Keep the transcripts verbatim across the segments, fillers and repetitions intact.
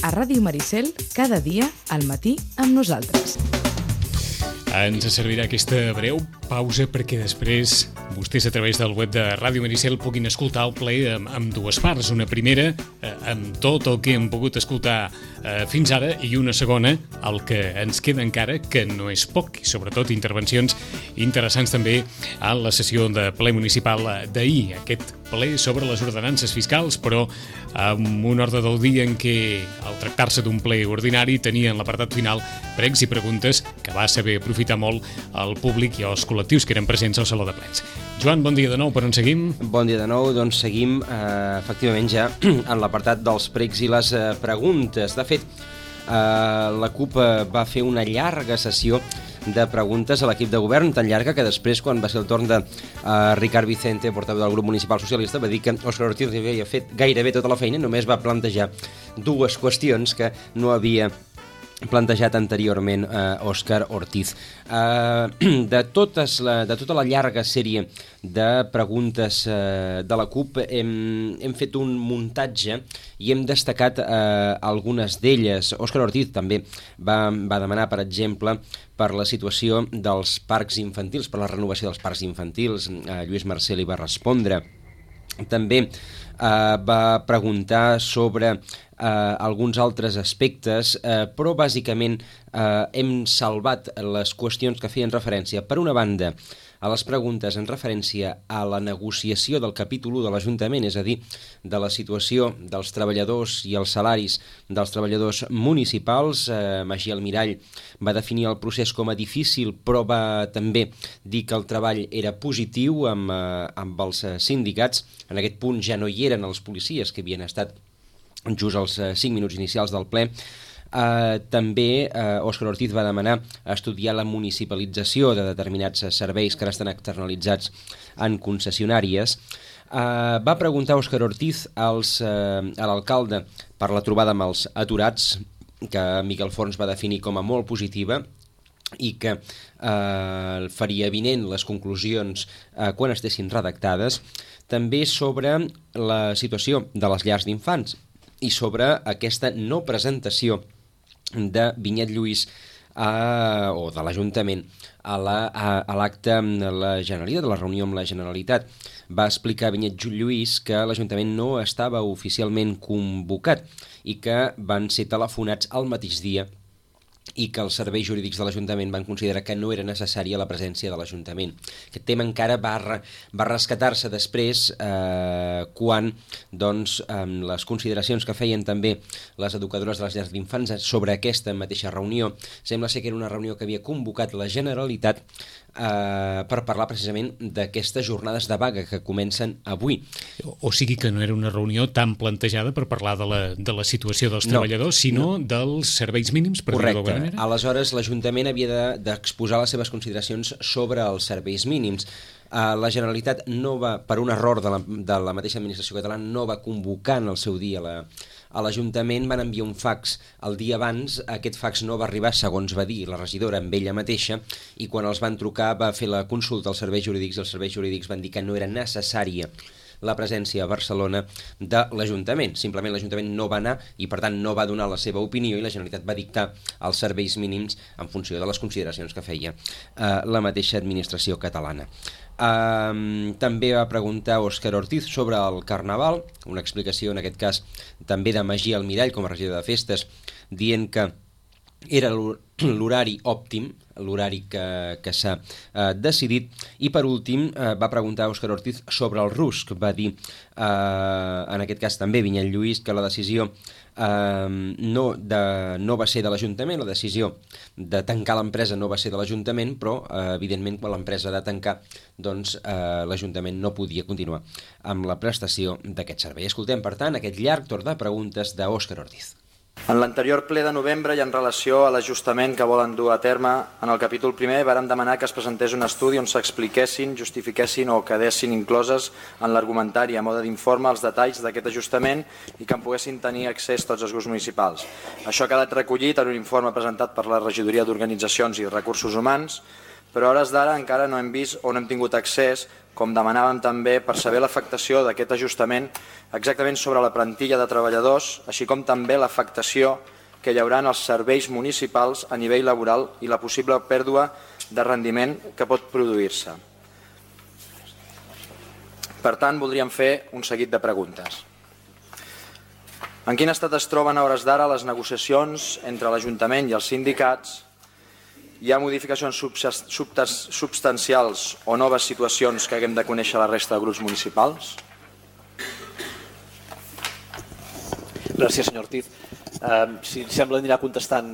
a Ràdio Maricel, cada dia al matí amb nosaltres. Ens servirà aquesta breu pausa perquè després vostès a través del web de Ràdio Maricel puguin escoltar el ple amb, amb dues parts. Una primera eh, amb tot el que hem pogut escoltar eh, fins ara i una segona, el que ens queda encara, que no és poc, i sobretot intervencions interessants també a la sessió de ple municipal d'ahir. Aquest ple sobre les ordenances fiscals, però amb un ordre del dia en què, al tractar-se d'un ple ordinari, tenien l'apartat final pregs i preguntes que va saber aprofitar molt el públic i els col·lectius que eren presents al Saló de Plens. Joan, bon dia de nou, per on seguim? Bon dia de nou, doncs seguim eh, efectivament ja en l'apartat dels pregs i les eh, preguntes. De fet, eh, la CUP eh, va fer una llarga sessió de preguntes a l'equip de govern, tan llarga que després, quan va ser el torn de uh, Ricard Vicente, portaveu del grup municipal socialista, va dir que Òscar Ortiz havia fet gairebé tota la feina, només va plantejar dues qüestions que no havia plantejat anteriorment eh, Òscar Ortiz. Eh, de, totes la, de tota la llarga sèrie de preguntes eh, de la CUP hem, hem fet un muntatge i hem destacat eh, algunes d'elles. Òscar Ortiz també va, va demanar, per exemple, per la situació dels parcs infantils, per la renovació dels parcs infantils. Eh, Lluís Marcel hi va respondre. També eh, va preguntar sobre eh, alguns altres aspectes, eh, però bàsicament eh, hem salvat les qüestions que feien referència, per una banda, a les preguntes en referència a la negociació del capítol u de l'Ajuntament, és a dir, de la situació dels treballadors i els salaris dels treballadors municipals. Eh, Magí Almirall va definir el procés com a difícil, però va també dir que el treball era positiu amb, eh, amb els sindicats. En aquest punt ja no hi eren els policies que havien estat just als eh, cinc minuts inicials del ple. Uh, també uh, Òscar Ortiz va demanar estudiar la municipalització de determinats serveis que ara estan externalitzats en concessionàries. Uh, va preguntar Òscar Ortiz als, uh, a l'alcalde per la trobada amb els aturats, que Miquel Forns va definir com a molt positiva i que uh, faria avinent les conclusions uh, quan estessin redactades. També sobre la situació de les llars d'infants i sobre aquesta no presentació de Vinyet Lluís a, o de l'Ajuntament a l'acte la, amb la Generalitat, de la reunió amb la Generalitat. Va explicar Vinyet Lluís que l'Ajuntament no estava oficialment convocat i que van ser telefonats al mateix dia i que els serveis jurídics de l'Ajuntament van considerar que no era necessària la presència de l'Ajuntament. Aquest tema encara va, re, va rescatar-se després eh, quan doncs, amb les consideracions que feien també les educadores de les llars d'infants sobre aquesta mateixa reunió, sembla ser que era una reunió que havia convocat la Generalitat eh, per parlar precisament d'aquestes jornades de vaga que comencen avui. O, o sigui que no era una reunió tan plantejada per parlar de la, de la situació dels treballadors, no, sinó no. dels serveis mínims, per dir-ho d'alguna manera. Aleshores, l'Ajuntament havia d'exposar de, les seves consideracions sobre els serveis mínims. Uh, la Generalitat no va, per un error de la, de la mateixa administració catalana, no va convocar en el seu dia la, a l'Ajuntament, van enviar un fax el dia abans. Aquest fax no va arribar, segons va dir la regidora, amb ella mateixa, i quan els van trucar va fer la consulta als serveis jurídics i els serveis jurídics van dir que no era necessària la presència a Barcelona de l'Ajuntament. Simplement l'Ajuntament no va anar i per tant no va donar la seva opinió i la Generalitat va dictar els serveis mínims en funció de les consideracions que feia eh, la mateixa administració catalana. Eh, també va preguntar Òscar Ortiz sobre el Carnaval, una explicació en aquest cas també de Magí Almirall com a regidor de festes, dient que era l'horari òptim, l'horari que, que s'ha eh, decidit. I per últim eh, va preguntar Òscar Ortiz sobre el RUSC. Va dir, eh, en aquest cas també Vinyet Lluís, que la decisió eh, no, de, no va ser de l'Ajuntament, la decisió de tancar l'empresa no va ser de l'Ajuntament, però eh, evidentment quan l'empresa ha de tancar, doncs eh, l'Ajuntament no podia continuar amb la prestació d'aquest servei. Escoltem, per tant, aquest llarg torn de preguntes d'Òscar Ortiz. En l'anterior ple de novembre i en relació a l'ajustament que volen dur a terme en el capítol primer vàrem demanar que es presentés un estudi on s'expliquessin, justifiquessin o quedessin incloses en l'argumentari a mode d'informe els detalls d'aquest ajustament i que en poguessin tenir accés tots els grups municipals. Això ha quedat recollit en un informe presentat per la Regidoria d'Organitzacions i Recursos Humans, però a hores d'ara encara no hem vist o no hem tingut accés com demanàvem també per saber l'afectació d'aquest ajustament exactament sobre la plantilla de treballadors, així com també l'afectació que hi haurà en els serveis municipals a nivell laboral i la possible pèrdua de rendiment que pot produir-se. Per tant, voldríem fer un seguit de preguntes. En quin estat es troben a hores d'ara les negociacions entre l'Ajuntament i els sindicats? Hi ha modificacions substancials o noves situacions que haguem de conèixer la resta de grups municipals? Gràcies, senyor Ortiz. Uh, si em sembla, anirà contestant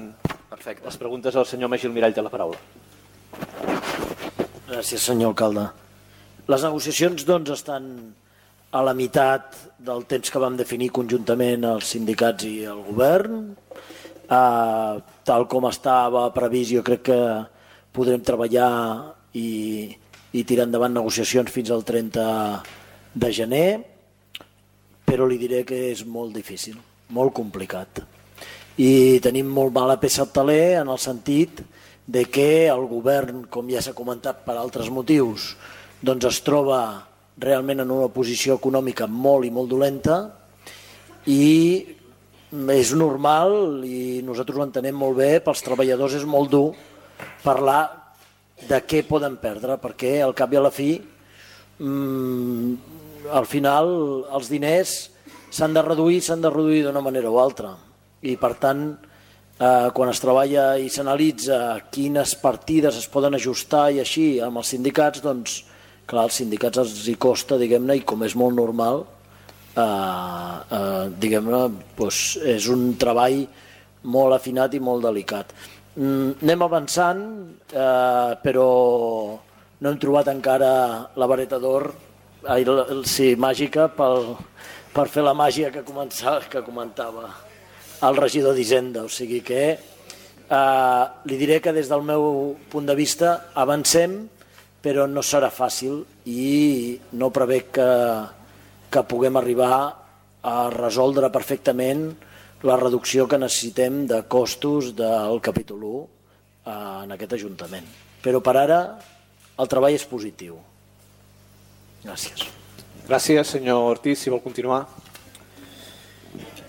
Perfecte. les preguntes al senyor Magí Almirall de la paraula. Gràcies, senyor alcalde. Les negociacions doncs, estan a la meitat del temps que vam definir conjuntament els sindicats i el govern. Uh, tal com estava previst, jo crec que podrem treballar i, i tirar endavant negociacions fins al trenta de gener, però li diré que és molt difícil, molt complicat. I tenim molt mala peça al taler en el sentit de que el govern, com ja s'ha comentat per altres motius, doncs es troba realment en una posició econòmica molt i molt dolenta i és normal i nosaltres ho entenem molt bé, pels treballadors és molt dur parlar de què poden perdre, perquè al cap i a la fi mmm, al final els diners s'han de reduir, s'han de reduir d'una manera o altra i per tant eh, quan es treballa i s'analitza quines partides es poden ajustar i així amb els sindicats, doncs clar, als sindicats els hi costa, diguem-ne, i com és molt normal, eh, eh, diguem-ne, doncs és un treball molt afinat i molt delicat. Mm, anem avançant, eh, però no hem trobat encara la vareta d'or, sí, màgica, pel, per fer la màgia que, que comentava el regidor d'Hisenda. O sigui que eh, li diré que des del meu punt de vista avancem, però no serà fàcil i no prevec que, que puguem arribar a resoldre perfectament la reducció que necessitem de costos del capítol u en aquest Ajuntament. Però per ara el treball és positiu. Gràcies. Gràcies, senyor Ortiz. Si vol continuar.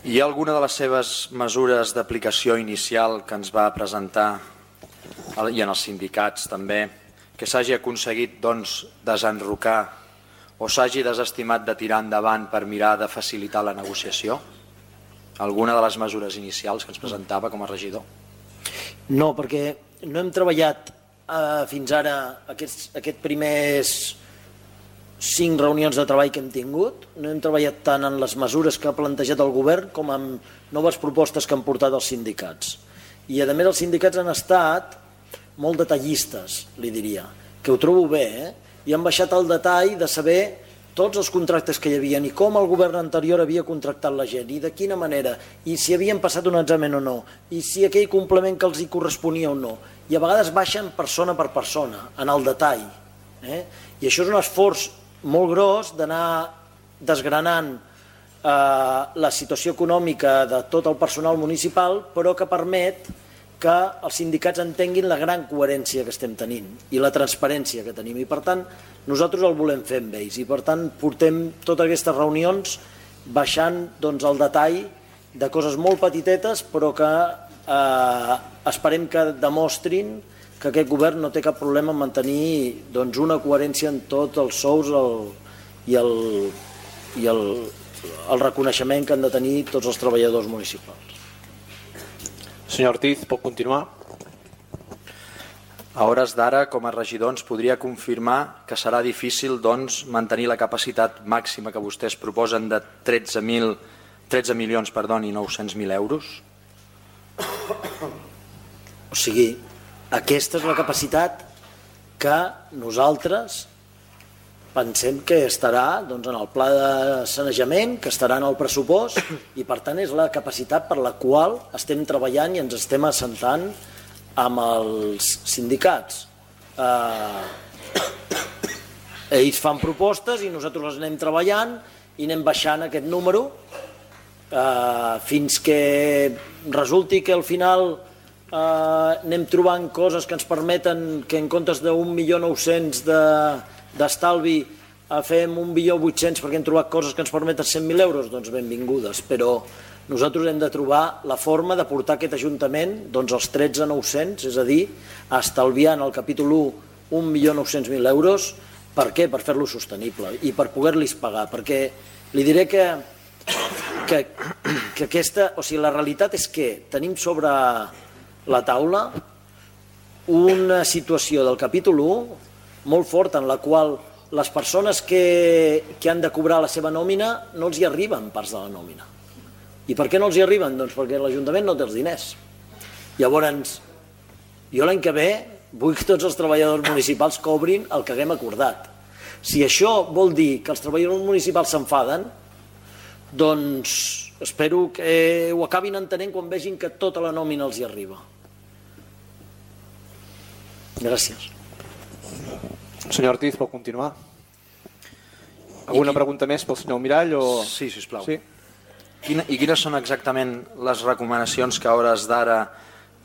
Hi ha alguna de les seves mesures d'aplicació inicial que ens va presentar i en els sindicats també que s'hagi aconseguit doncs, desenrocar o s'hagi desestimat de tirar endavant per mirar de facilitar la negociació? Alguna de les mesures inicials que ens presentava com a regidor? No, perquè no hem treballat eh, fins ara aquests, aquests primers cinc reunions de treball que hem tingut, no hem treballat tant en les mesures que ha plantejat el govern com en noves propostes que han portat els sindicats. I a més els sindicats han estat molt detallistes, li diria, que ho trobo bé, eh? I han baixat al detall de saber tots els contractes que hi havia i com el govern anterior havia contractat la gent i de quina manera, i si havien passat un examen o no, i si aquell complement que els hi corresponia o no. I a vegades baixen persona per persona, en el detall. Eh? I això és un esforç molt gros d'anar desgranant eh, la situació econòmica de tot el personal municipal, però que permet que els sindicats entenguin la gran coherència que estem tenint i la transparència que tenim. I per tant, nosaltres el volem fer amb ells. I per tant, portem totes aquestes reunions baixant doncs, el detall de coses molt petitetes, però que eh, esperem que demostrin que aquest govern no té cap problema en mantenir doncs, una coherència en tots els sous el, i, el, i el, el reconeixement que han de tenir tots els treballadors municipals. Senyor Ortiz, pot continuar? A hores d'ara, com a regidor, ens podria confirmar que serà difícil doncs, mantenir la capacitat màxima que vostès proposen de tretze milions i nou-cents mil euros? O sigui, aquesta és la capacitat que nosaltres pensem que estarà doncs, en el pla de sanejament, que estarà en el pressupost i per tant és la capacitat per la qual estem treballant i ens estem assentant amb els sindicats. Eh, ells fan propostes i nosaltres les anem treballant i anem baixant aquest número eh, fins que resulti que al final eh, anem trobant coses que ens permeten que en comptes d'un milió nou-cents d'estalvi fem un milió vuit-cents perquè hem trobat coses que ens permeten cent mil euros, doncs benvingudes, però nosaltres hem de trobar la forma de portar aquest Ajuntament doncs, als tretze mil nou-cents, és a dir, estalviant al capítol u un milió nou-cents mil euros. Per què? Per fer-lo sostenible i per poder-los pagar, perquè li diré que, que, que aquesta, o sigui, la realitat és que tenim sobre la taula una situació del capítol u molt forta en la qual les persones que, que han de cobrar la seva nòmina no els hi arriben parts de la nòmina. I per què no els hi arriben? Doncs perquè l'Ajuntament no té els diners. Llavors, jo l'any que ve vull que tots els treballadors municipals cobrin el que haguem acordat. Si això vol dir que els treballadors municipals s'enfaden, doncs espero que ho acabin entenent quan vegin que tota la nòmina els hi arriba. Gràcies. Senyor Ortiz, pot continuar? Alguna pregunta més pel senyor Mirall? O... Sí, sisplau. Sí? Quina, I quines són exactament les recomanacions que a hores d'ara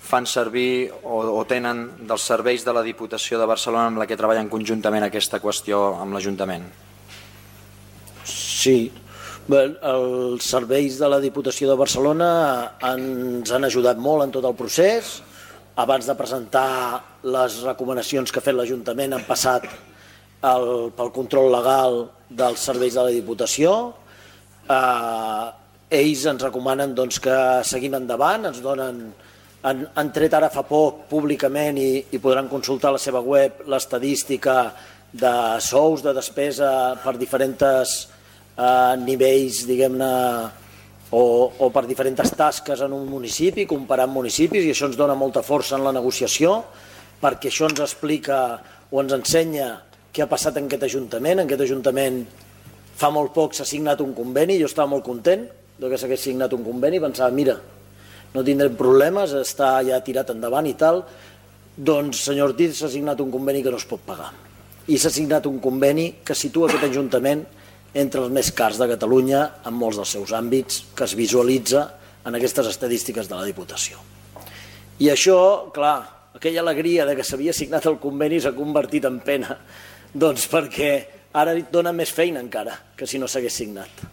fan servir o, o tenen dels serveis de la Diputació de Barcelona amb la que treballen conjuntament aquesta qüestió amb l'Ajuntament? Sí, bé, els serveis de la Diputació de Barcelona ens han ajudat molt en tot el procés. Abans de presentar les recomanacions que ha fet l'Ajuntament han passat el, pel control legal dels serveis de la Diputació. Eh, ells ens recomanen doncs, que seguim endavant, ens donen, han, han tret ara fa poc públicament i, i podran consultar a la seva web l'estadística de sous, de despesa per diferents eh, nivells, diguem-ne, O, o per diferents tasques en un municipi, comparant municipis, i això ens dona molta força en la negociació, perquè això ens explica o ens ensenya què ha passat en aquest Ajuntament. En aquest Ajuntament fa molt poc s'ha signat un conveni, jo estava molt content que s'hagués signat un conveni, pensava, mira, no tindrem problemes, està ja tirat endavant i tal. Doncs, senyor Ortiz, s'ha signat un conveni que no es pot pagar. I s'ha signat un conveni que situa aquest Ajuntament entre els més cars de Catalunya en molts dels seus àmbits, que es visualitza en aquestes estadístiques de la Diputació. I això, clar, aquella alegria de que s'havia signat el conveni s'ha convertit en pena, doncs perquè ara dona més feina encara que si no s'hagués signat.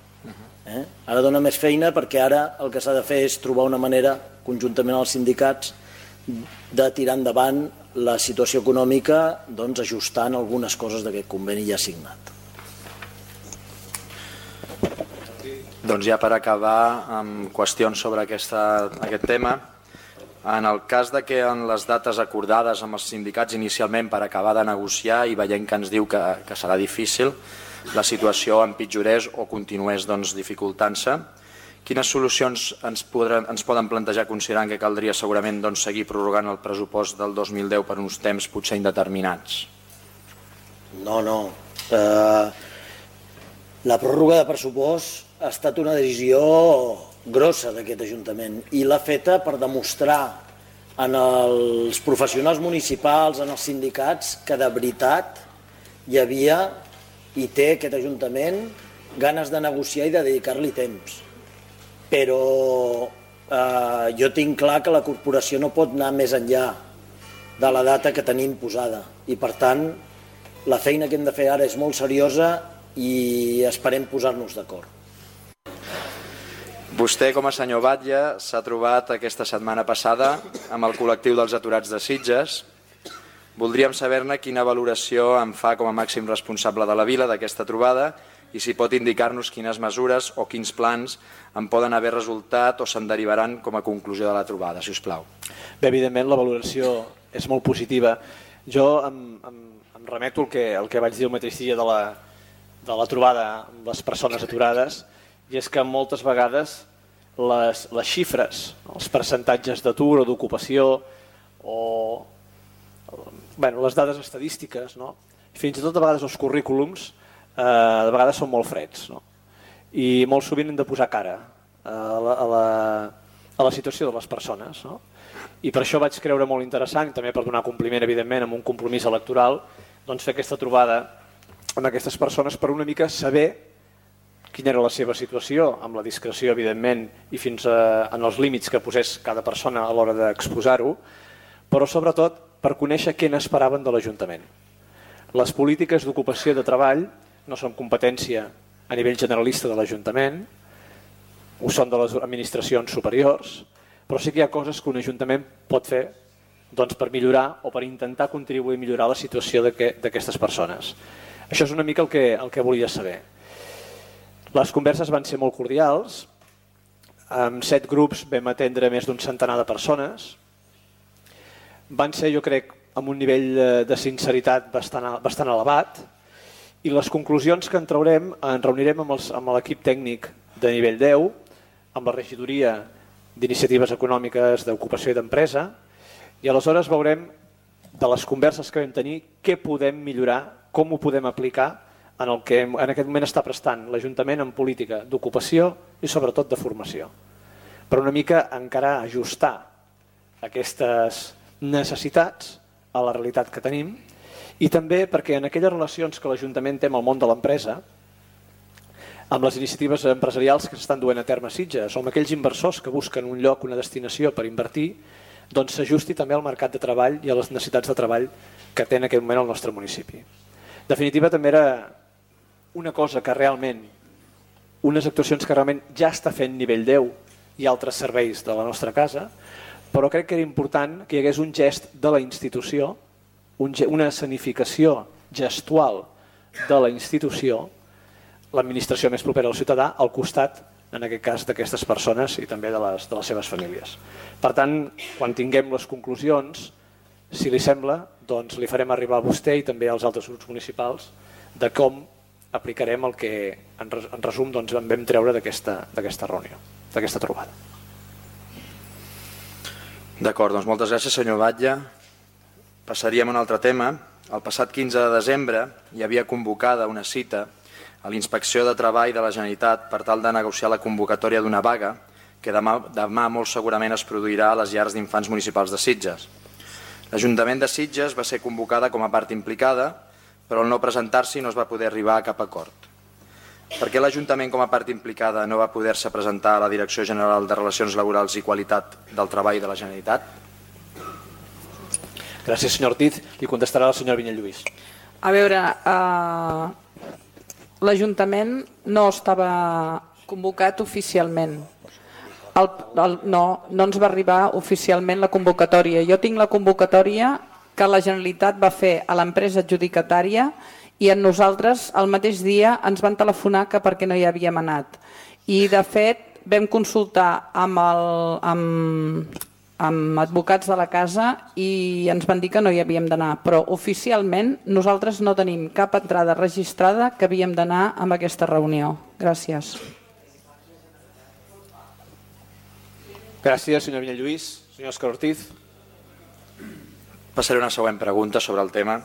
Eh? Ara dona més feina perquè ara el que s'ha de fer és trobar una manera, conjuntament amb els sindicats, de tirar endavant la situació econòmica doncs, ajustant algunes coses d'aquest conveni ja signat. Doncs ja per acabar amb qüestions sobre aquesta, aquest tema, en el cas de que en les dates acordades amb els sindicats inicialment per acabar de negociar i veient que ens diu que, que serà difícil, la situació empitjorés o continués doncs, dificultant-se, quines solucions ens, podran, ens poden plantejar considerant que caldria segurament doncs, seguir prorrogant el pressupost del dos mil deu per uns temps potser indeterminats? No, no. Uh, la pròrroga de pressupost ha estat una decisió grossa d'aquest Ajuntament i l'ha feta per demostrar en els professionals municipals, en els sindicats, que de veritat hi havia i té aquest Ajuntament ganes de negociar i de dedicar-li temps. Però eh, jo tinc clar que la corporació no pot anar més enllà de la data que tenim posada i per tant la feina que hem de fer ara és molt seriosa i esperem posar-nos d'acord. Vostè, com a senyor Batlle, s'ha trobat aquesta setmana passada amb el col·lectiu dels aturats de Sitges. Voldríem saber-ne quina valoració en fa com a màxim responsable de la vila d'aquesta trobada i si pot indicar-nos quines mesures o quins plans en poden haver resultat o se'n derivaran com a conclusió de la trobada, si us plau. Bé, evidentment, la valoració és molt positiva. Jo em, em, em remeto al que, el que vaig dir el mateix dia de la, de la trobada amb les persones aturades, i és que moltes vegades les, les xifres, els percentatges d'atur o d'ocupació o bueno, les dades estadístiques, no? Fins i tot a vegades els currículums eh, de vegades són molt freds, no? I molt sovint hem de posar cara a la, a la, a la situació de les persones, no? I per això vaig creure molt interessant, i també per donar compliment evidentment amb un compromís electoral, doncs fer aquesta trobada amb aquestes persones per una mica saber quina era la seva situació, amb la discreció, evidentment, i fins a, en els límits que posés cada persona a l'hora d'exposar-ho, però sobretot per conèixer què n'esperaven de l'Ajuntament. Les polítiques d'ocupació de treball no són competència a nivell generalista de l'Ajuntament, ho són de les administracions superiors, però sí que hi ha coses que un Ajuntament pot fer doncs, per millorar o per intentar contribuir a millorar la situació d'aquestes persones. Això és una mica el que, el que volia saber. Les converses van ser molt cordials, amb set grups vam atendre més d'un centenar de persones, van ser, jo crec, amb un nivell de sinceritat bastant, bastant elevat, i les conclusions que en traurem en reunirem amb, els, amb l'equip tècnic de nivell deu, amb la regidoria d'iniciatives econòmiques d'ocupació i d'empresa, i aleshores veurem de les converses que vam tenir què podem millorar, com ho podem aplicar en el que en aquest moment està prestant l'Ajuntament en política d'ocupació i sobretot de formació. Per una mica encara ajustar aquestes necessitats a la realitat que tenim i també perquè en aquelles relacions que l'Ajuntament té amb el món de l'empresa, amb les iniciatives empresarials que s'estan duent a terme a Sitges o amb aquells inversors que busquen un lloc, una destinació per invertir, doncs s'ajusti també al mercat de treball i a les necessitats de treball que té en aquest moment el nostre municipi. En definitiva, també era una cosa que realment, unes actuacions que realment ja està fent nivell deu i altres serveis de la nostra casa, però crec que era important que hi hagués un gest de la institució, una escenificació gestual de la institució, l'administració més propera al ciutadà, al costat, en aquest cas, d'aquestes persones i també de les, de les seves famílies. Per tant, quan tinguem les conclusions, si li sembla, doncs li farem arribar a vostè i també als altres grups municipals de com aplicarem el que, en resum, doncs, en vam treure d'aquesta reunió, d'aquesta trobada. D'acord, doncs moltes gràcies, senyor Batlle. Passaríem a un altre tema. El passat quinze de desembre hi havia convocada una cita a l'Inspecció de Treball de la Generalitat per tal de negociar la convocatòria d'una vaga que demà, demà molt segurament es produirà a les llars d'infants municipals de Sitges. L'Ajuntament de Sitges va ser convocada com a part implicada, però al no presentar-s'hi no es va poder arribar a cap acord. Per què l'Ajuntament com a part implicada no va poder-se presentar a la Direcció General de Relacions Laborals i Qualitat del Treball de la Generalitat? Gràcies, senyor Ortiz. Li contestarà la senyora Vinyet Lluís. A veure, eh... l'Ajuntament no estava convocat oficialment. El, el, no, no ens va arribar oficialment la convocatòria. Jo tinc la convocatòria que la Generalitat va fer a l'empresa adjudicatària i en nosaltres el mateix dia ens van telefonar que perquè no hi havíem anat. I de fet vam consultar amb, el, amb, amb advocats de la casa i ens van dir que no hi havíem d'anar, però oficialment nosaltres no tenim cap entrada registrada que havíem d'anar amb aquesta reunió. Gràcies. Gràcies, senyor Vinyet Lluís. Senyor Òscar Ortiz. Passaré una següent pregunta sobre el tema.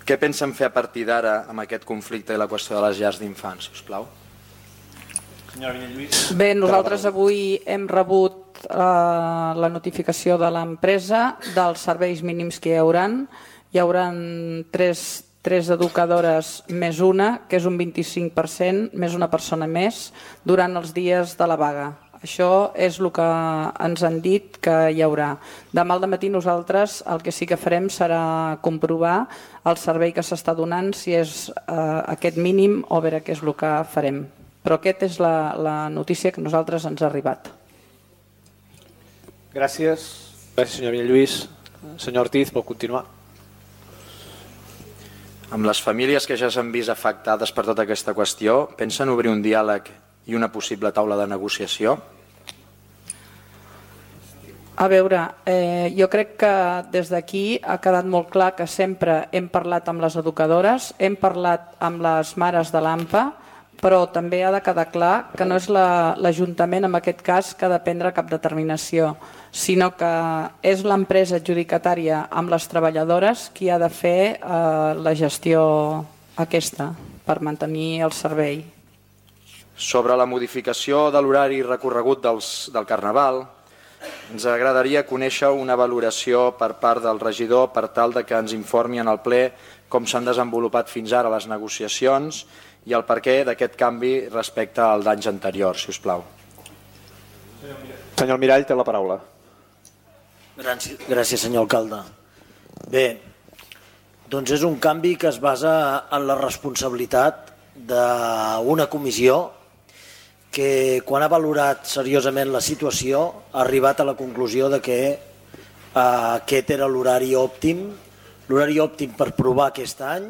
Què pensen fer a partir d'ara amb aquest conflicte i la qüestió de les llars d'infants, si us plau? Senyora Vinyet Lluís. Bé, nosaltres avui hem rebut eh, la notificació de l'empresa dels serveis mínims que hi haurà. Hi haurà tres, tres educadores més una, que és un vint-i-cinc per cent, més una persona més, durant els dies de la vaga. Això és el que ens han dit que hi haurà. Demà al matí nosaltres el que sí que farem serà comprovar el servei que s'està donant, si és eh, aquest mínim o veure què és el que farem. Però aquesta és la, la notícia que a nosaltres ens ha arribat. Gràcies. Gràcies, senyor Vinyet Lluís. Senyor Ortiz, pot continuar. Amb les famílies que ja s'han vist afectades per tota aquesta qüestió, pensen obrir un diàleg i una possible taula de negociació? A veure, eh, jo crec que des d'aquí ha quedat molt clar que sempre hem parlat amb les educadores, hem parlat amb les mares de l'A M P A, però també ha de quedar clar que no és l'Ajuntament, en aquest cas, que ha de prendre cap determinació, sinó que és l'empresa adjudicatària amb les treballadores qui ha de fer eh, la gestió aquesta per mantenir el servei. Sobre la modificació de l'horari recorregut dels, del Carnaval, ens agradaria conèixer una valoració per part del regidor per tal de que ens informi en el ple com s'han desenvolupat fins ara les negociacions i el perquè d'aquest canvi respecte al d'anys anteriors, si us plau. Senyor Mirall, té la paraula. Gràcies, gràcies senyor alcalde. Bé, Doncs és un canvi que es basa en la responsabilitat d'una comissió que, quan ha valorat seriosament la situació, ha arribat a la conclusió de que eh, aquest era l'horari òptim, l'horari òptim per provar aquest any.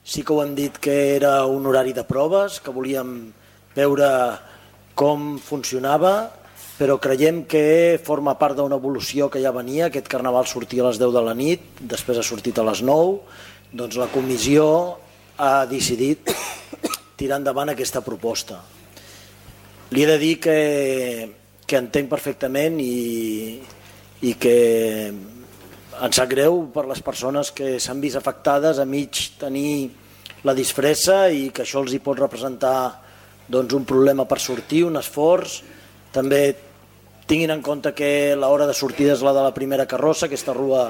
Sí que ho hem dit que era un horari de proves, que volíem veure com funcionava, però creiem que forma part d'una evolució que ja venia. Aquest carnaval sortia a les deu de la nit, després ha sortit a les nou, doncs la comissió ha decidit tirar endavant aquesta proposta. Li he de dir que, que entenc perfectament i, i que em sap greu per les persones que s'han vist afectades a mig tenir la disfressa i que això els hi pot representar doncs, un problema per sortir, un esforç. També tinguin en compte que l'hora de sortida és la de la primera carrossa, aquesta rua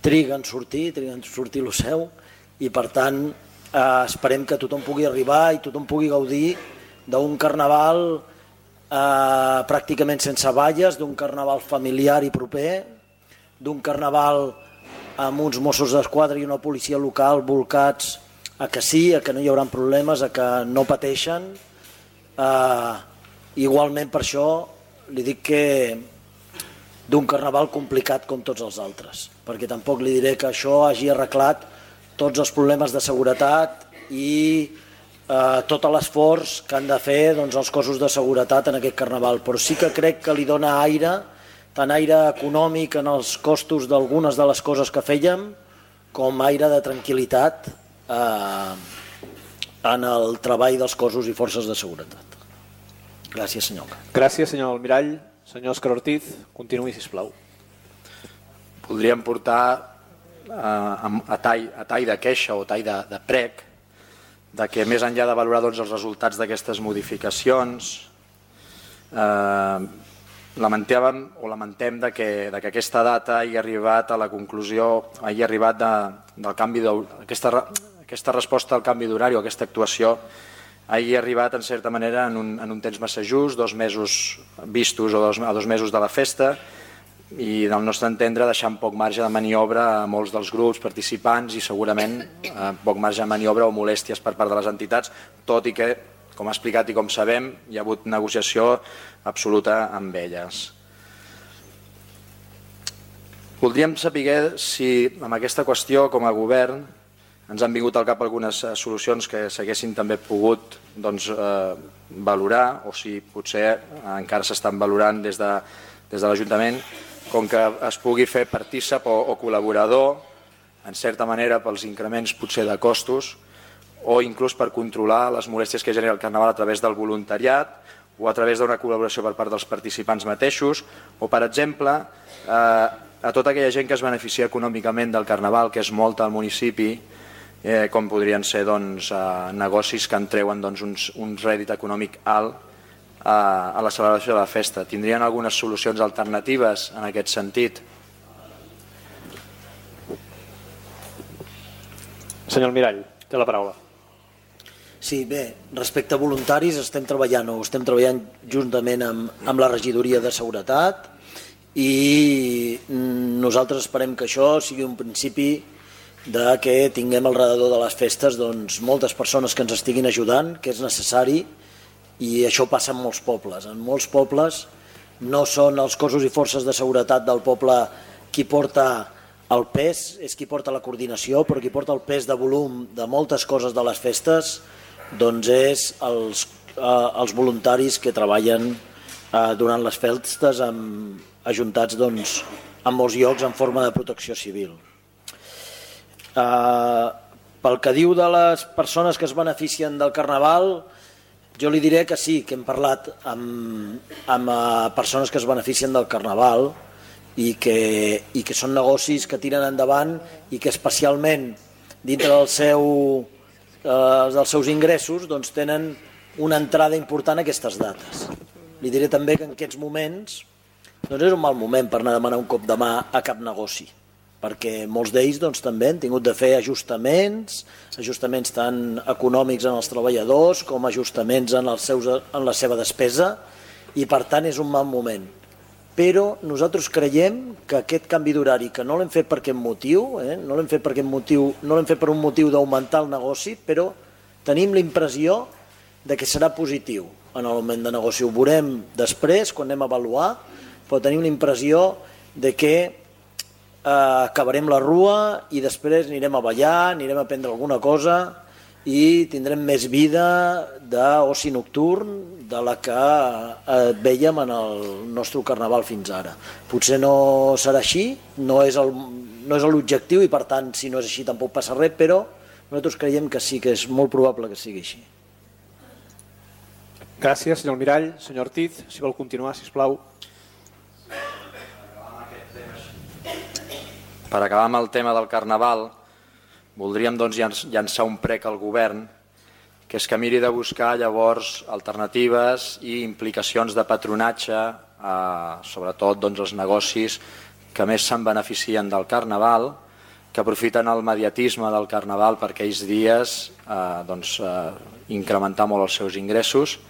triga en sortir, triga en sortir lo seu, i per tant eh, esperem que tothom pugui arribar i tothom pugui gaudir d'un carnaval eh, pràcticament sense valles, d'un carnaval familiar i proper, d'un carnaval amb uns Mossos d'Esquadra i una policia local volcats a que sí, a que no hi haurà problemes, a que no pateixen. Eh, igualment per això li dic que d'un carnaval complicat com tots els altres, perquè tampoc li diré que això hagi arreglat tots els problemes de seguretat i eh, tot l'esforç que han de fer doncs, els cossos de seguretat en aquest carnaval, però sí que crec que li dona aire, tant aire econòmic en els costos d'algunes de les coses que fèiem, com aire de tranquil·litat eh, en el treball dels cossos i forces de seguretat. Gràcies, senyor. Gràcies, senyor Almirall. Senyor Òscar Ortiz, continuï, sisplau. Voldríem portar eh, a, tall, a tall de queixa o tall de, de prec de que més enllà de valorar doncs, els resultats d'aquestes modificacions eh, lamentàvem o lamentem de que, de que aquesta data hagi arribat a la conclusió, hagi arribat de, del canvi d'aquesta aquesta resposta al canvi d'horari o aquesta actuació hagi arribat en certa manera en un, en un temps massa just, dos mesos vistos o dos, a dos mesos de la festa, i del nostre entendre deixant poc marge de maniobra a molts dels grups participants i segurament eh, poc marge de maniobra o molèsties per part de les entitats, tot i que, com ha explicat i com sabem, hi ha hagut negociació absoluta amb elles. Voldríem saber si amb aquesta qüestió com a govern ens han vingut al cap algunes solucions que s'haguessin també pogut doncs, eh, valorar, o si potser encara s'estan valorant des de, des de l'Ajuntament, com que es pugui fer partícip o, o col·laborador, en certa manera pels increments potser de costos, o inclús per controlar les molèsties que genera el Carnaval a través del voluntariat o a través d'una col·laboració per part dels participants mateixos, o per exemple, eh, a tota aquella gent que es beneficia econòmicament del Carnaval, que és molta al municipi, Eh, com podrien ser doncs, eh, negocis que en treuen doncs, uns, un rèdit econòmic alt eh, a la celebració de la festa. Tindrien algunes solucions alternatives en aquest sentit? Senyor Almirall, té la paraula. Sí, bé, respecte a voluntaris estem treballant o estem treballant juntament amb, amb la regidoria de seguretat i nosaltres esperem que això sigui un principi de que tinguem al redador de les festes doncs, moltes persones que ens estiguin ajudant, que és necessari, i això passa en molts pobles. En molts pobles no són els cossos i forces de seguretat del poble qui porta el pes, és qui porta la coordinació, però qui porta el pes de volum de moltes coses de les festes doncs és els, eh, els voluntaris que treballen eh, durant les festes amb, ajuntats doncs, en molts llocs en forma de protecció civil. Uh, pel que diu de les persones que es beneficien del Carnaval, jo li diré que sí, que hem parlat amb, amb uh, persones que es beneficien del Carnaval i que, i que són negocis que tiren endavant i que especialment dintre del seu, uh, dels seus ingressos doncs, tenen una entrada important a aquestes dates. Li diré també que en aquests moments doncs és un mal moment per anar a demanar un cop de mà a cap negoci, perquè molts d'ells doncs, també han tingut de fer ajustaments, ajustaments tant econòmics en els treballadors com ajustaments en, els seus, en la seva despesa, i per tant és un mal moment. però nosaltres creiem que aquest canvi d'horari, que no l'hem fet per aquest motiu, eh, no l'hem fet per aquest motiu, no l'hem fet per un motiu d'augmentar el negoci, però tenim la impressió de que serà positiu en l'augment de negoci. Ho veurem després, quan anem a avaluar, però tenim la impressió de que eh, acabarem la rua i després anirem a ballar, anirem a prendre alguna cosa i tindrem més vida d'oci nocturn de la que eh, veiem en el nostre carnaval fins ara. Potser no serà així, no és el, no és l'objectiu i per tant si no és així tampoc passa res, però nosaltres creiem que sí que és molt probable que sigui així. Gràcies, senyor Almirall. Senyor Ortiz, si vol continuar, sisplau. Per acabar amb el tema del Carnaval, voldríem doncs, llançar un prec al govern, que és que miri de buscar llavors alternatives i implicacions de patronatge, eh, sobretot doncs, els negocis que més se'n beneficien del Carnaval, que aprofiten el mediatisme del Carnaval per aquells dies eh, doncs, eh, incrementar molt els seus ingressos.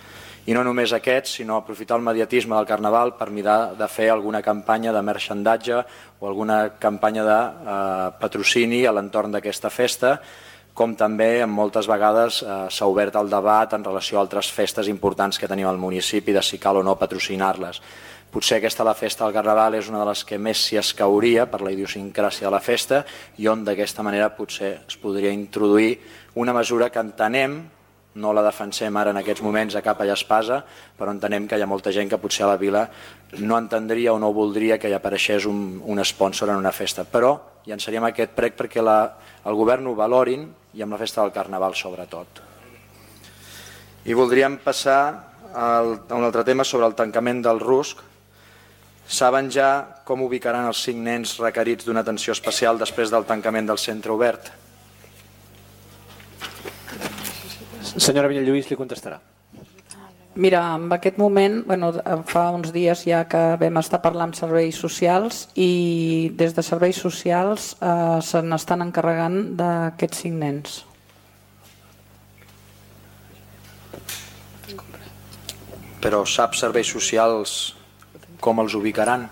I no només aquests, sinó aprofitar el mediatisme del Carnaval per mirar de fer alguna campanya de merchandatge o alguna campanya de eh, patrocini a l'entorn d'aquesta festa, com també moltes vegades eh, s'ha obert el debat en relació a altres festes importants que tenim al municipi, de si cal o no patrocinar-les. Potser aquesta, la festa del Carnaval, és una de les que més s'hi escauria per la idiosincràsia de la festa i on d'aquesta manera potser es podria introduir una mesura que entenem, no la defensem ara en aquests moments a capa i espasa, però entenem que hi ha molta gent que potser a la vila no entendria o no voldria que hi apareixés un, un sponsor en una festa. Però llançaríem aquest prec perquè la, el govern ho valorin i amb la festa del Carnaval sobretot. I voldríem passar al, a un altre tema sobre el tancament del rusc. Saben ja com ubicaran els cinc nens requerits d'una atenció especial després del tancament del centre obert? Senyora Vinyalluís li contestarà. Mira, en aquest moment, bueno, fa uns dies ja que vam estar parlant amb serveis socials i des de serveis socials eh, se n'estan encarregant d'aquests cinc nens. Però sap serveis socials com els ubicaran?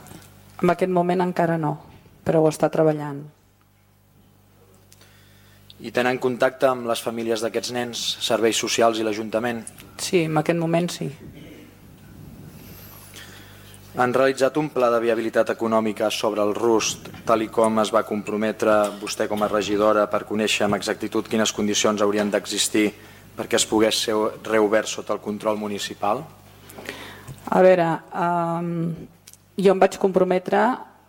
En aquest moment encara no, però ho està treballant. I tenen contacte amb les famílies d'aquests nens, serveis socials i l'Ajuntament? Sí, en aquest moment sí. Han realitzat un pla de viabilitat econòmica sobre el rust, tal i com es va comprometre vostè com a regidora per conèixer amb exactitud quines condicions haurien d'existir perquè es pogués ser reobert sota el control municipal? A veure, eh, jo em vaig comprometre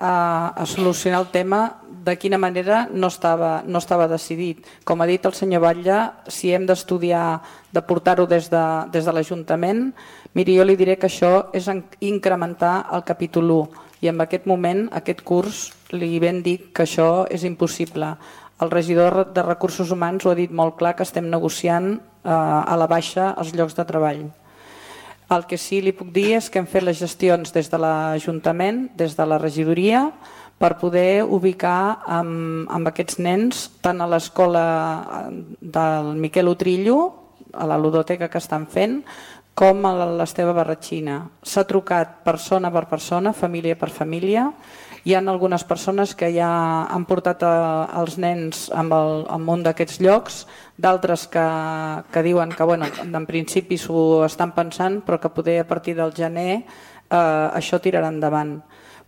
a, a solucionar el tema de quina manera no estava, no estava decidit. Com ha dit el senyor Batlle, si hem d'estudiar, de portar-ho des de, des de l'Ajuntament, miri, jo li diré que això és incrementar el capítol u i en aquest moment, aquest curs, li ben dic que això és impossible. El regidor de Recursos Humans ho ha dit molt clar, que estem negociant eh, a la baixa els llocs de treball. El que sí li puc dir és que hem fet les gestions des de l'Ajuntament, des de la regidoria, per poder ubicar amb, amb aquests nens tant a l'escola del Miquel Utrillo, a la ludoteca que estan fent, com a l'Esteve Barratxina. S'ha trucat persona per persona, família per família. Hi ha algunes persones que ja han portat a, els nens amb, el, amb un d'aquests llocs, d'altres que, que diuen que bueno, en principi s'ho estan pensant, però que poder a partir del gener eh, això tirarà endavant.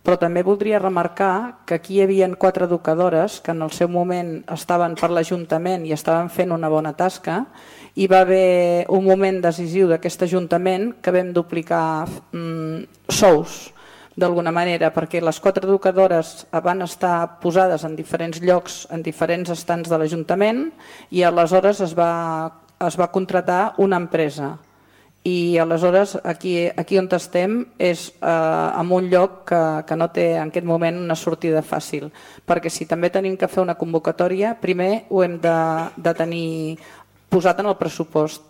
Però també voldria remarcar que aquí hi havia quatre educadores que en el seu moment estaven per l'Ajuntament i estaven fent una bona tasca i va haver un moment decisiu d'aquest Ajuntament que vam duplicar mm, sous d'alguna manera, perquè les quatre educadores van estar posades en diferents llocs, en diferents estants de l'Ajuntament i aleshores es va, es va contratar una empresa. I aleshores aquí, aquí on estem és eh, en un lloc que, que no té en aquest moment una sortida fàcil, perquè si també tenim que fer una convocatòria, primer ho hem de, de tenir posat en el pressupost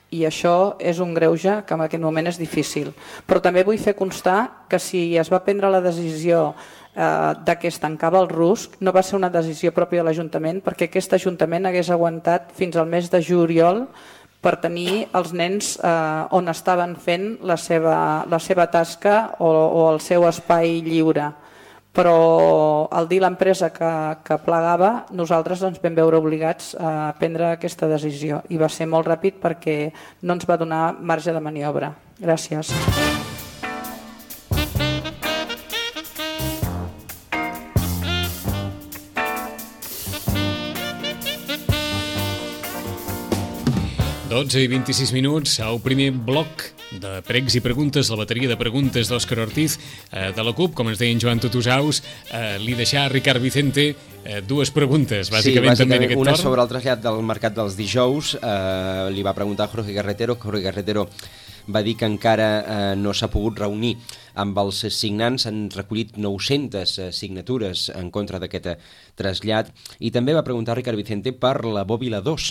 i això és un greuge que en aquest moment és difícil. Però també vull fer constar que si es va prendre la decisió eh, de que es tancava el rusc, no va ser una decisió pròpia de l'Ajuntament, perquè aquest Ajuntament hagués aguantat fins al mes de juliol per tenir els nens eh, on estaven fent la seva, la seva tasca o, o el seu espai lliure. Però al dir l'empresa que, que plegava, nosaltres ens vam veure obligats a prendre aquesta decisió i va ser molt ràpid perquè no ens va donar marge de maniobra. Gràcies. dotze i vint-i-sis minuts al primer bloc de pregs i preguntes, la bateria de preguntes d'Òscar Ortiz eh, de la CUP, com ens deia en Joan Tutusaus, eh, li deixà a Ricard Vicente eh, dues preguntes, bàsicament, sí, també en aquest una torn. Sobre el trasllat del mercat dels dijous, eh, li va preguntar Jorge Carretero, Jorge Carretero va dir que encara eh, no s'ha pogut reunir amb els signants, han recollit nou-centes signatures en contra d'aquest trasllat, i també va preguntar Ricard Vicente per la Bòbila dos,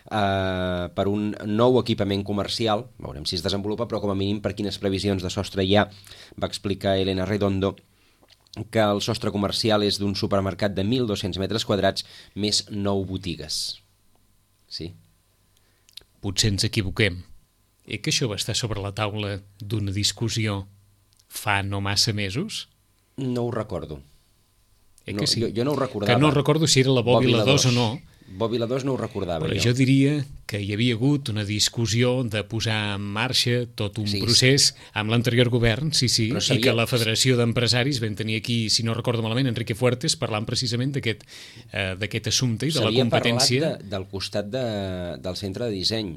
eh, per un nou equipament comercial, veurem si es desenvolupa, però com a mínim per quines previsions de sostre hi ha. Va explicar Elena Redondo que el sostre comercial és d'un supermercat de mil dos-cents metres quadrats més nou botigues. Sí? Potser ens equivoquem. Eh que això va estar sobre la taula d'una discussió fa no massa mesos? No ho recordo. Eh no, que sí? jo, jo no ho recordava. Que no recordo si era la Bòbila dos o no. Bòbila dos no ho recordava. Però jo. jo diria que hi havia hagut una discussió de posar en marxa tot un sí, procés amb l'anterior govern, sí, sí, sabia... i que la Federació d'Empresaris vam tenir aquí, si no recordo malament, Enrique Fuertes, parlant precisament d'aquest eh, d'aquest assumpte i de la competència. S'havia parlat de, del costat de, del centre de disseny.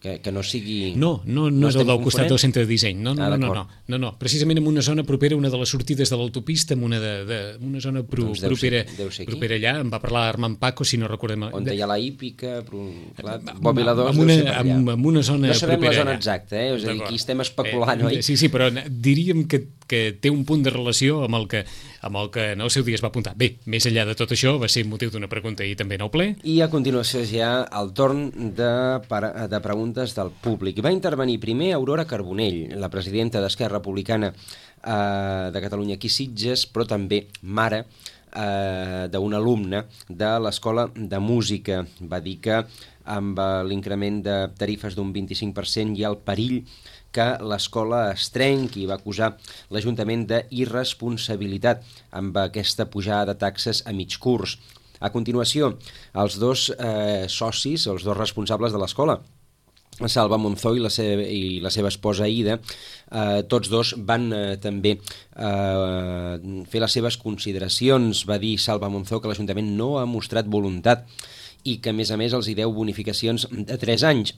Que, que no sigui... No, no, no, no és el del costat del centre de disseny, no, no, ah, no, no, no, no, no, precisament en una zona propera, una de les sortides de l'autopista, en una, de, de, una zona pro, doncs deu propera, ser, deu ser propera allà, em va parlar Armand Paco, si no recordem... On hi ha la hípica, però, clar, Bòbila dos amb deu una, ser per allà. amb, amb una zona no sabem propera la zona allà. exacta, eh? És a dir, aquí estem especulant, eh, oi? Sí, sí, però diríem que, que té un punt de relació amb el que, amb el que en el seu dia es va apuntar. Bé, més enllà de tot això, va ser motiu d'una pregunta i també en el ple. I a continuació ja el torn de, de preguntes del públic. I va intervenir primer Aurora Carbonell, la presidenta d'Esquerra Republicana eh, de Catalunya aquí Sitges, però també mare eh, d'un alumne de l'Escola de Música. Va dir que amb l'increment de tarifes d'un vint-i-cinc per cent hi ha el perill que l'escola es trenqui, i va acusar l'Ajuntament d'irresponsabilitat amb aquesta pujada de taxes a mig curs. A continuació, els dos eh, socis, els dos responsables de l'escola, Salva Monzó i la seva, i la seva esposa Aida, eh, tots dos van eh, també eh, fer les seves consideracions. Va dir Salva Monzó que l'Ajuntament no ha mostrat voluntat i que, a més a més, els hi deu bonificacions de tres anys.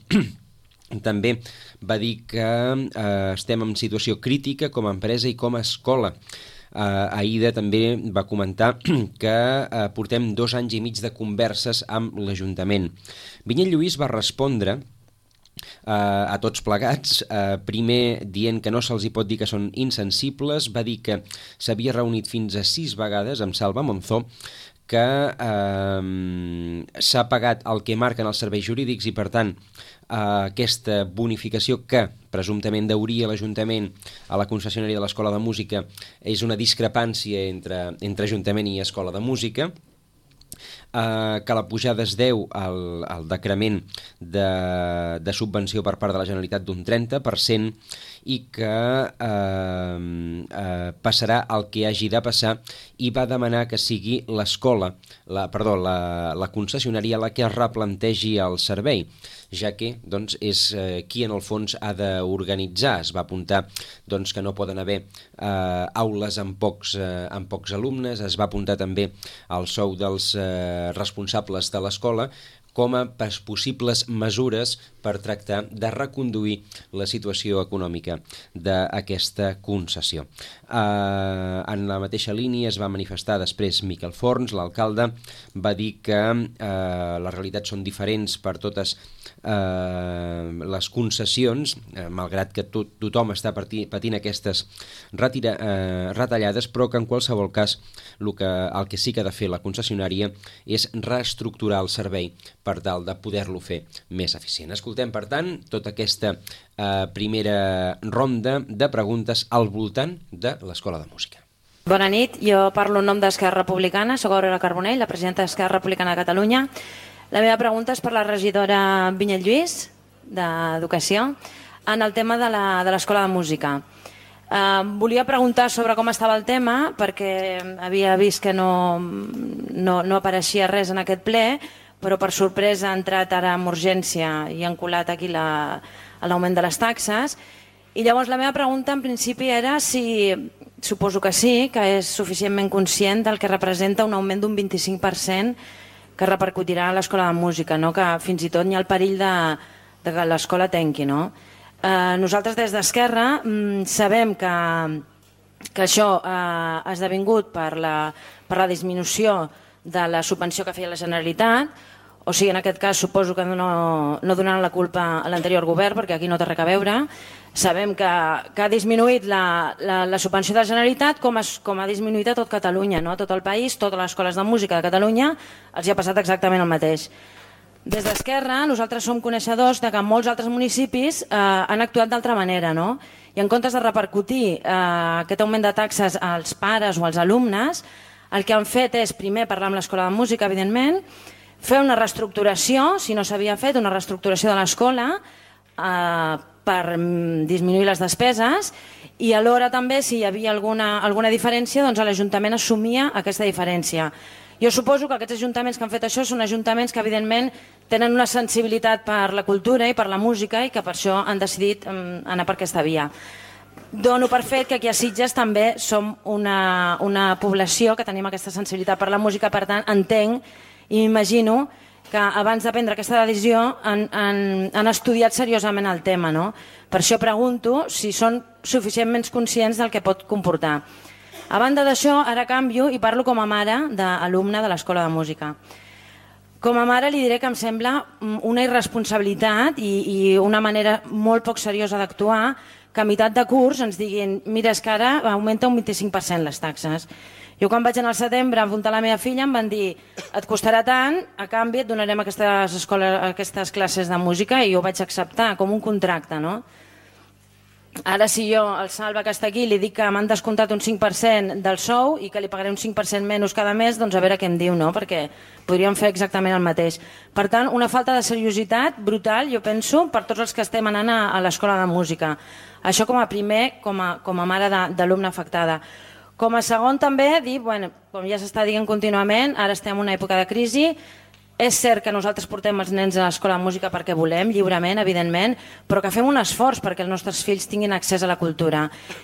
També va dir que eh, estem en situació crítica com a empresa i com a escola. Uh, Aida també va comentar que uh, portem dos anys i mig de converses amb l'Ajuntament. Vinyet Lluís va respondre uh, a tots plegats, uh, primer dient que no se'ls hi pot dir que són insensibles, va dir que s'havia reunit fins a sis vegades amb Salva Monzó, que eh, s'ha pagat el que marquen els serveis jurídics i, per tant, eh, aquesta bonificació que presumptament deuria l'Ajuntament a la concessionària de l'Escola de Música és una discrepància entre, entre Ajuntament i Escola de Música, eh, que la pujada es deu al, al decrement de, de subvenció per part de la Generalitat d'un trenta per cent i que eh, eh, passarà el que hagi de passar, i va demanar que sigui l'escola, la, perdó, la, la concessionària la que es replantegi el servei, ja que doncs, és eh, qui en el fons ha d'organitzar. Es va apuntar doncs, que no poden haver eh, aules amb pocs, eh, amb pocs alumnes, es va apuntar també el sou dels eh, responsables de l'escola com a possibles mesures per tractar de reconduir la situació econòmica d'aquesta concessió. Eh, en la mateixa línia es va manifestar després Miquel Forns, l'alcalde, va dir que eh, les realitats són diferents per totes eh, les concessions, eh, malgrat que tot, tothom està patint aquestes retira, eh, retallades, però que en qualsevol cas el que, el que sí que ha de fer la concessionària és reestructurar el servei per tal de poder-lo fer més eficient. Escoltem, per tant, tota aquesta eh, primera ronda de preguntes al voltant de l'Escola de Música. Bona nit, jo parlo en nom d'Esquerra Republicana, soc Aurora Carbonell, la presidenta d'Esquerra Republicana de Catalunya. La meva pregunta és per la regidora Vinyet Lluís, d'Educació, en el tema de l'Escola de Música. Uh, volia preguntar sobre com estava el tema, perquè havia vist que no, no, no apareixia res en aquest ple, però per sorpresa ha entrat ara amb urgència i han colat aquí l'augment de les taxes. I llavors la meva pregunta en principi era si, suposo que sí, que és suficientment conscient del que representa un augment d'un vint-i-cinc per cent que repercutirà a l'Escola de Música, no? Que fins i tot hi ha el perill de, de que l'escola tanqui. No? Eh, nosaltres des d'Esquerra mm, sabem que, que això eh, ha esdevingut per la, per la disminució de la subvenció que feia la Generalitat, o sigui, en aquest cas suposo que no, no donaran la culpa a l'anterior govern, perquè aquí no té res a veure. Sabem que, que ha disminuït la, la, la subvenció de la Generalitat com, es, com ha disminuït a tot Catalunya, no? A tot el país, totes les escoles de música de Catalunya els hi ha passat exactament el mateix. Des d'Esquerra nosaltres som coneixedors de que molts altres municipis eh, han actuat d'altra manera, no? I en comptes de repercutir eh, aquest augment de taxes als pares o als alumnes, el que han fet és primer parlar amb l'Escola de Música, evidentment, fer una reestructuració, si no s'havia fet, una reestructuració de l'escola eh, per disminuir les despeses i alhora també, si hi havia alguna, alguna diferència, doncs l'Ajuntament assumia aquesta diferència. Jo suposo que aquests ajuntaments que han fet això són ajuntaments que evidentment tenen una sensibilitat per la cultura i per la música i que per això han decidit anar per aquesta via. Dono per fet que aquí a Sitges també som una, una població que tenim aquesta sensibilitat per la música, per tant entenc i m'imagino que abans de prendre aquesta decisió han, han, han estudiat seriosament el tema. No? Per això pregunto si són suficientment conscients del que pot comportar. A banda d'això, ara canvio i parlo com a mare d'alumne de l'Escola de Música. Com a mare li diré que em sembla una irresponsabilitat i, i una manera molt poc seriosa d'actuar que a meitat de curs ens diguin mira, és que ara augmenta un vint-i-cinc per cent les taxes. Jo quan vaig anar al setembre a apuntar la meva filla em van dir et costarà tant, a canvi et donarem aquestes, escoles, aquestes classes de música i jo vaig acceptar com un contracte. No? Ara si jo al Salva que està aquí li dic que m'han descomptat un cinc per cent del sou i que li pagaré un cinc per cent menys cada mes, doncs a veure què em diu, no? Perquè podríem fer exactament el mateix. Per tant, una falta de seriositat brutal, jo penso, per tots els que estem anant a, a l'Escola de Música. Això com a primer, com a, com a mare d'alumne afectada. Com a segon també dir, bueno, com ja s'està dient contínuament, ara estem en una època de crisi, és cert que nosaltres portem els nens a l'Escola de Música perquè volem, lliurement, evidentment, però que fem un esforç perquè els nostres fills tinguin accés a la cultura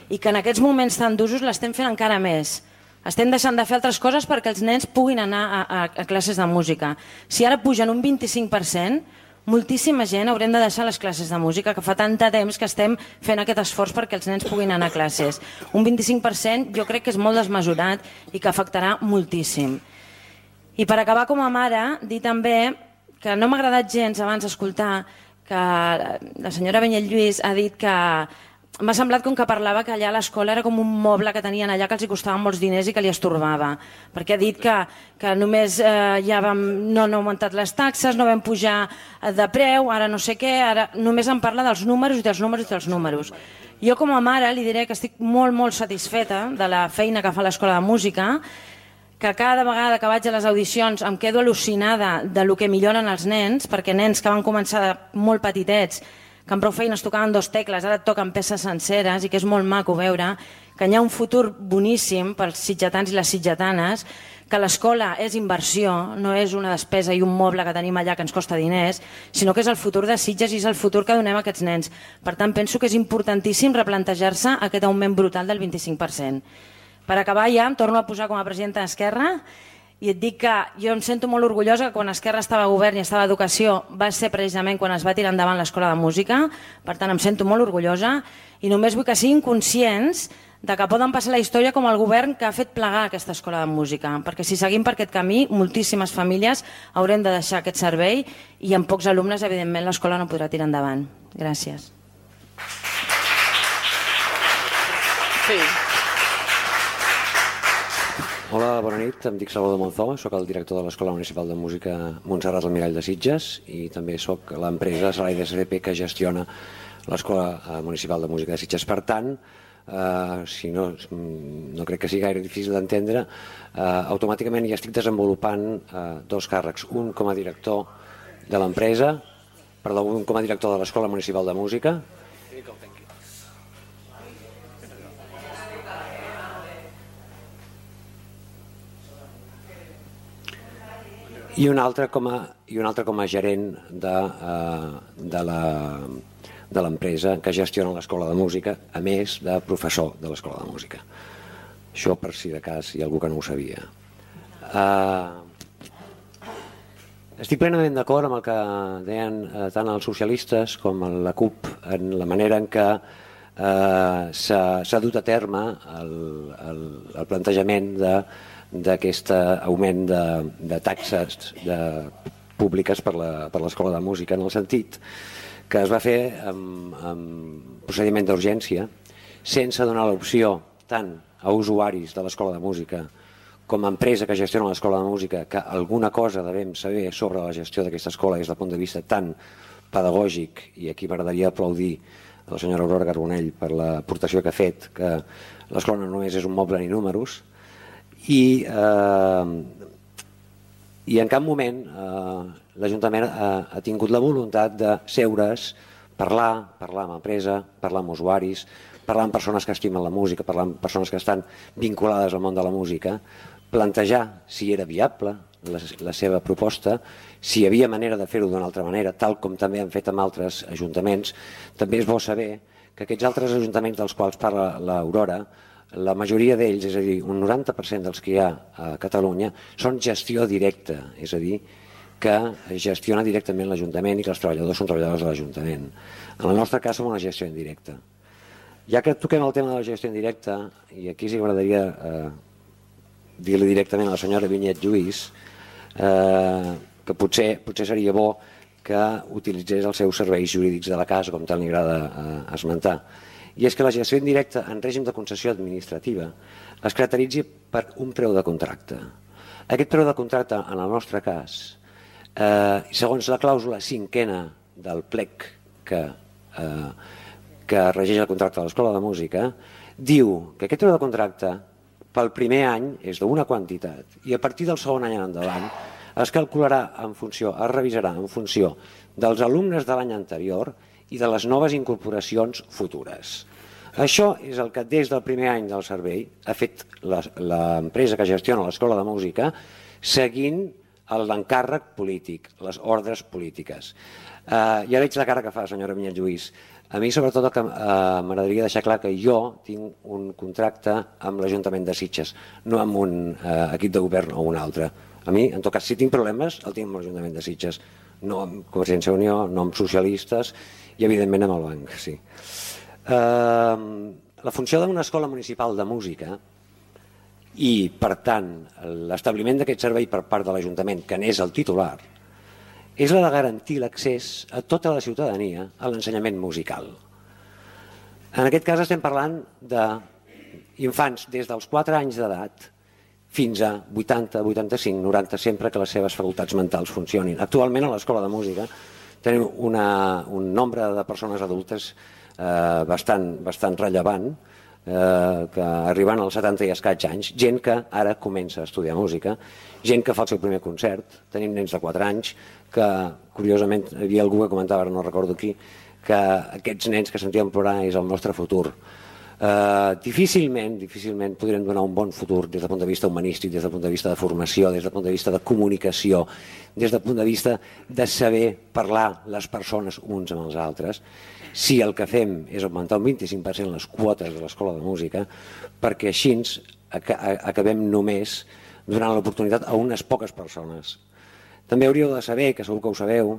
i que en aquests moments tan d'usos l'estem fent encara més. Estem deixant de fer altres coses perquè els nens puguin anar a, a, a classes de música. Si ara pugen un vint-i-cinc per cent, moltíssima gent haurem de deixar les classes de música, que fa tant de temps que estem fent aquest esforç perquè els nens puguin anar a classes. Un vint-i-cinc per cent jo crec que és molt desmesurat i que afectarà moltíssim. I per acabar com a mare, dir també que no m'ha agradat gens abans escoltar que la senyora Vinyet Lluís ha dit que m'ha semblat com que parlava que allà a l'escola era com un moble que tenien allà que els hi costava molts diners i que li estorbava, perquè ha dit que, que només eh, ja vam, no han augmentat les taxes, no vam pujar de preu, ara no sé què, ara només em parla dels números i dels números i dels números. Jo com a mare li diré que estic molt, molt satisfeta de la feina que fa l'Escola de Música, que cada vegada que vaig a les audicions em quedo al·lucinada de lo que milloren els nens, perquè nens que van començar molt petitets, que amb prou feines tocaven dos tecles, ara et toquen peces senceres i que és molt maco veure que hi ha un futur boníssim pels sitgetans i les sitgetanes, que l'escola és inversió, no és una despesa i un moble que tenim allà que ens costa diners, sinó que és el futur de Sitges i és el futur que donem a aquests nens. Per tant, penso que és importantíssim replantejar-se aquest augment brutal del vint-i-cinc per cent. Per acabar ja, em torno a posar com a presidenta d'Esquerra i et dic que jo em sento molt orgullosa que quan Esquerra estava a govern i estava a Educació va ser precisament quan es va tirar endavant l'Escola de Música, per tant em sento molt orgullosa i només vull que siguin conscients de que poden passar la història com el govern que ha fet plegar aquesta Escola de Música, perquè si seguim per aquest camí, moltíssimes famílies haurem de deixar aquest servei i amb pocs alumnes, evidentment, l'escola no podrà tirar endavant. Gràcies. Sí. Hola, bona nit, em dic Salvador Monzó, soc el director de l'Escola Municipal de Música Montserrat Almirall de Sitges i també soc l'empresa Salai de S D P que gestiona l'Escola Municipal de Música de Sitges. Per tant, Uh, si no, no crec que sigui gaire difícil d'entendre, uh, automàticament ja estic desenvolupant uh, dos càrrecs, un com a director de l'empresa, perdó, un com a director de l'Escola Municipal de Música, i un altre com a, i un altre com a gerent de, uh, de la de l'empresa que gestiona l'Escola de Música, a més de professor de l'Escola de Música. Això per si de cas hi ha algú que no ho sabia. Uh, estic plenament d'acord amb el que deien uh, tant els socialistes com la C U P en la manera en què uh, s'ha dut a terme el, el, el plantejament d'aquest augment de, de taxes de, públiques per l'Escola de Música, en el sentit que es va fer amb, amb procediment d'urgència, sense donar l'opció tant a usuaris de l'Escola de Música com a empresa que gestiona l'Escola de Música que alguna cosa devem saber sobre la gestió d'aquesta escola des del punt de vista tan pedagògic, i aquí m'agradaria aplaudir a la senyora Aurora Carbonell per l'aportació que ha fet, que l'escola no només és un moble ni números, i, eh, i en cap moment eh, l'Ajuntament ha, ha tingut la voluntat de seure's, parlar, parlar amb l'empresa, parlar amb usuaris, parlar amb persones que estimen la música, parlar amb persones que estan vinculades al món de la música, plantejar si era viable la, la seva proposta, si hi havia manera de fer-ho d'una altra manera, tal com també han fet amb altres ajuntaments. També és bo saber que aquests altres ajuntaments dels quals parla l'Aurora, la majoria d'ells, és a dir, un noranta per cent dels que hi ha a Catalunya, són gestió directa, és a dir, que gestiona directament l'Ajuntament i que els treballadors són treballadors de l'Ajuntament. En el nostre cas som una gestió indirecta. Ja que toquem el tema de la gestió indirecta, i aquí sí que m'agradaria eh, dir-li directament a la senyora Vinyet Lluís eh, que potser, potser seria bo que utilitzés els seus serveis jurídics de la casa, com tant li agrada eh, esmentar. I és que la gestió indirecta en règim de concessió administrativa es caracteritzi per un preu de contracte. Aquest preu de contracte, en el nostre cas, Eh, segons la clàusula cinquena del plec que, eh, que regeix el contracte de l'Escola de Música, diu que aquest preu de contracte pel primer any és d'una quantitat i a partir del segon any en endavant es calcularà en funció, es revisarà en funció dels alumnes de l'any anterior i de les noves incorporacions futures. Això és el que des del primer any del servei ha fet l'empresa que gestiona l'Escola de Música, seguint l'encàrrec polític, les ordres polítiques. Uh, ja veig la cara que fa, senyora Vinyet Lluís. A mi, sobretot, que uh, m'agradaria deixar clar que jo tinc un contracte amb l'Ajuntament de Sitges, no amb un uh, equip de govern o un altre. A mi, en tot cas, si tinc problemes, el tinc amb l'Ajuntament de Sitges, no amb Convergència i Unió, no amb socialistes i, evidentment, amb el banc. Sí. Uh, la funció d'una escola municipal de música i, per tant, l'establiment d'aquest servei per part de l'Ajuntament, que n'és el titular, és la de garantir l'accés a tota la ciutadania a l'ensenyament musical. En aquest cas estem parlant d'infants des dels quatre anys d'edat fins a vuitanta, vuitanta-cinc, noranta, sempre que les seves facultats mentals funcionin. Actualment a l'Escola de Música tenim una, un nombre de persones adultes eh, bastant, bastant rellevant, Eh, que arribant als setanta i escaig anys, gent que ara comença a estudiar música, gent que fa el seu primer concert, tenim nens de quatre anys, que curiosament hi havia algú que comentava, no recordo qui, que aquests nens que sentíem plorar és el nostre futur. Eh, difícilment, difícilment podrem donar un bon futur des del punt de vista humanístic, des del punt de vista de formació, des del punt de vista de comunicació, des del punt de vista de saber parlar les persones uns amb els altres, si el que fem és augmentar un vint-i-cinc per cent les quotes de l'Escola de Música, perquè així acabem només donant l'oportunitat a unes poques persones. També hauríeu de saber, que segur que ho sabeu,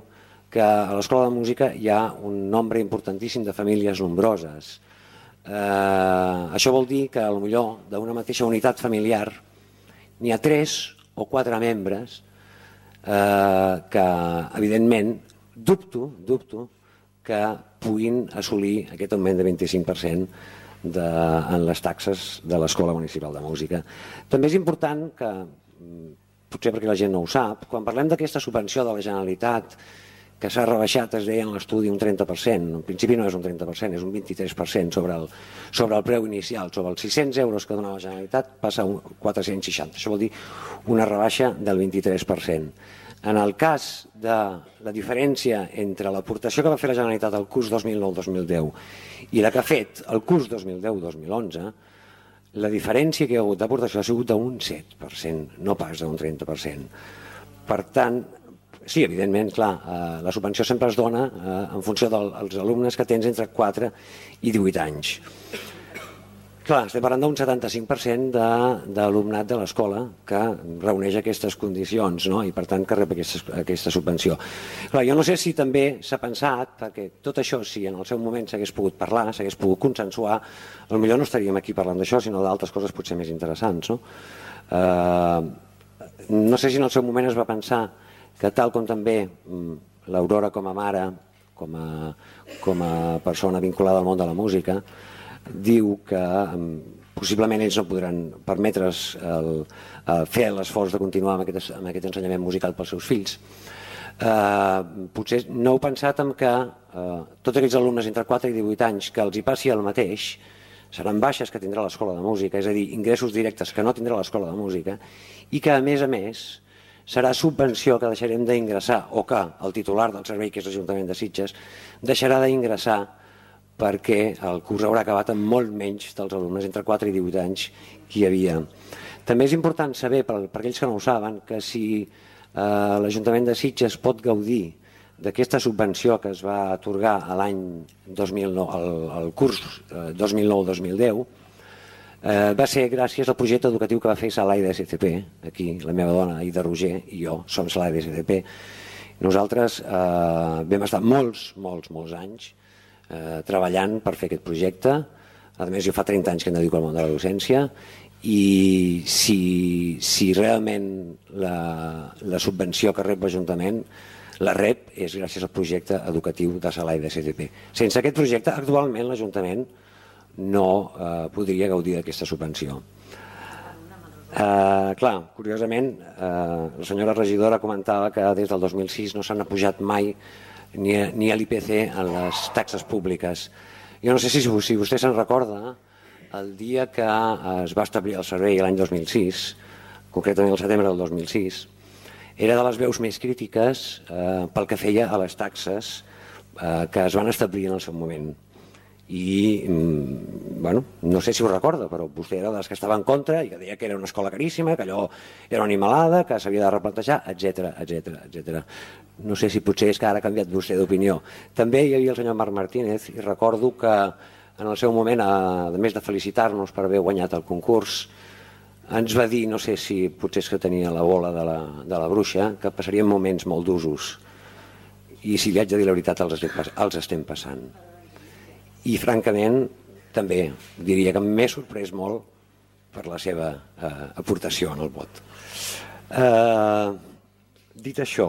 que a l'Escola de Música hi ha un nombre importantíssim de famílies nombroses. Eh, això vol dir que potser d'una mateixa unitat familiar n'hi ha tres o quatre membres eh, que, evidentment, dubto, dubto que puguin assolir aquest augment de vint-i-cinc per cent de, en les taxes de l'Escola Municipal de Música. També és important que, potser perquè la gent no ho sap, quan parlem d'aquesta subvenció de la Generalitat que s'ha rebaixat, es deia en l'estudi, un trenta per cent. En principi no és un trenta per cent, és un vint-i-tres per cent sobre el, sobre el preu inicial. Sobre els sis-cents euros que donava la Generalitat passa a quatre-cents seixanta. Això vol dir una rebaixa del vint-i-tres per cent. En el cas de la diferència entre l'aportació que va fer la Generalitat al curs dos mil nou dos mil deu i la que ha fet el curs dos mil deu dos mil onze, la diferència que hi ha hagut d'aportació ha sigut d'un set per cent, no pas d'un trenta per cent. Per tant, sí, evidentment, clar, la subvenció sempre es dona en funció dels alumnes que tens entre quatre i divuit anys. Clar, estem parlant d'un setanta-cinc per cent d'alumnat de l'escola que reuneix aquestes condicions, no? I per tant que rep aquesta, aquesta subvenció. Clar, jo no sé si també s'ha pensat, perquè tot això, si en el seu moment s'hagués pogut parlar, s'hagués pogut consensuar, potser no estaríem aquí parlant d'això, sinó d'altres coses potser més interessants, no? Eh, no sé si en el seu moment es va pensar que tal com també l'Aurora com a mare, com a, com a persona vinculada al món de la música, diu que possiblement ells no podran permetre's el, el fer l'esforç de continuar amb aquest, amb aquest ensenyament musical pels seus fills. Eh, potser no heu pensat en que eh, tots aquells alumnes entre quatre i divuit anys que els hi passi el mateix seran baixes que tindrà l'escola de música, és a dir, ingressos directes que no tindrà l'escola de música, i que a més a més serà subvenció que deixarem d'ingressar, o que el titular del servei, que és l'Ajuntament de Sitges, deixarà d'ingressar perquè el curs haurà acabat amb molt menys dels alumnes entre quatre i divuit anys que hi havia. També és important saber, per, per aquells que no ho saben, que si eh, l'Ajuntament de Sitges pot gaudir d'aquesta subvenció que es va atorgar a l'any dos mil nou, al, al curs eh, dos mil nou dos mil deu, eh, va ser gràcies al projecte educatiu que va fer Salai de S C P, aquí la meva dona, Ida Roger, i jo som Salai de S C P. Nosaltres eh, vam estar molts, molts, molts anys Eh, treballant per fer aquest projecte. A més, jo fa trenta anys que em dedico al món de la docència, i si, si realment la, la subvenció que rep l'Ajuntament la rep és gràcies al projecte educatiu de Salai de S C P. Sense aquest projecte, actualment l'Ajuntament no eh, podria gaudir d'aquesta subvenció. Eh, clar, curiosament, eh, la senyora regidora comentava que des del dos mil sis no s'han apujat mai ni a, ni a l'I P C en les taxes públiques. Jo no sé si, si vostè se'n recorda, el dia que es va establir el servei l'any dos mil sis, concretament el setembre del dos mil sis, era de les veus més crítiques eh, pel que feia a les taxes eh, que es van establir en el seu moment. I, bueno, no sé si ho recorda, però vostè era dels que estava en contra i que deia que era una escola caríssima, que allò era una animalada, que s'havia de replantejar, etcètera, etcètera, etcètera. No sé si potser és que ara ha canviat vostè d'opinió. També hi havia el senyor Marc Martínez, i recordo que en el seu moment, a més de felicitar-nos per haver guanyat el concurs, ens va dir, no sé si potser és que tenia la bola de la, de la bruixa, que passarien moments molt d'usos. I si li haig de dir la veritat, els estem, els estem passant. I francament també diria que m'he sorprès molt per la seva eh, aportació en el vot. Eh, dit això,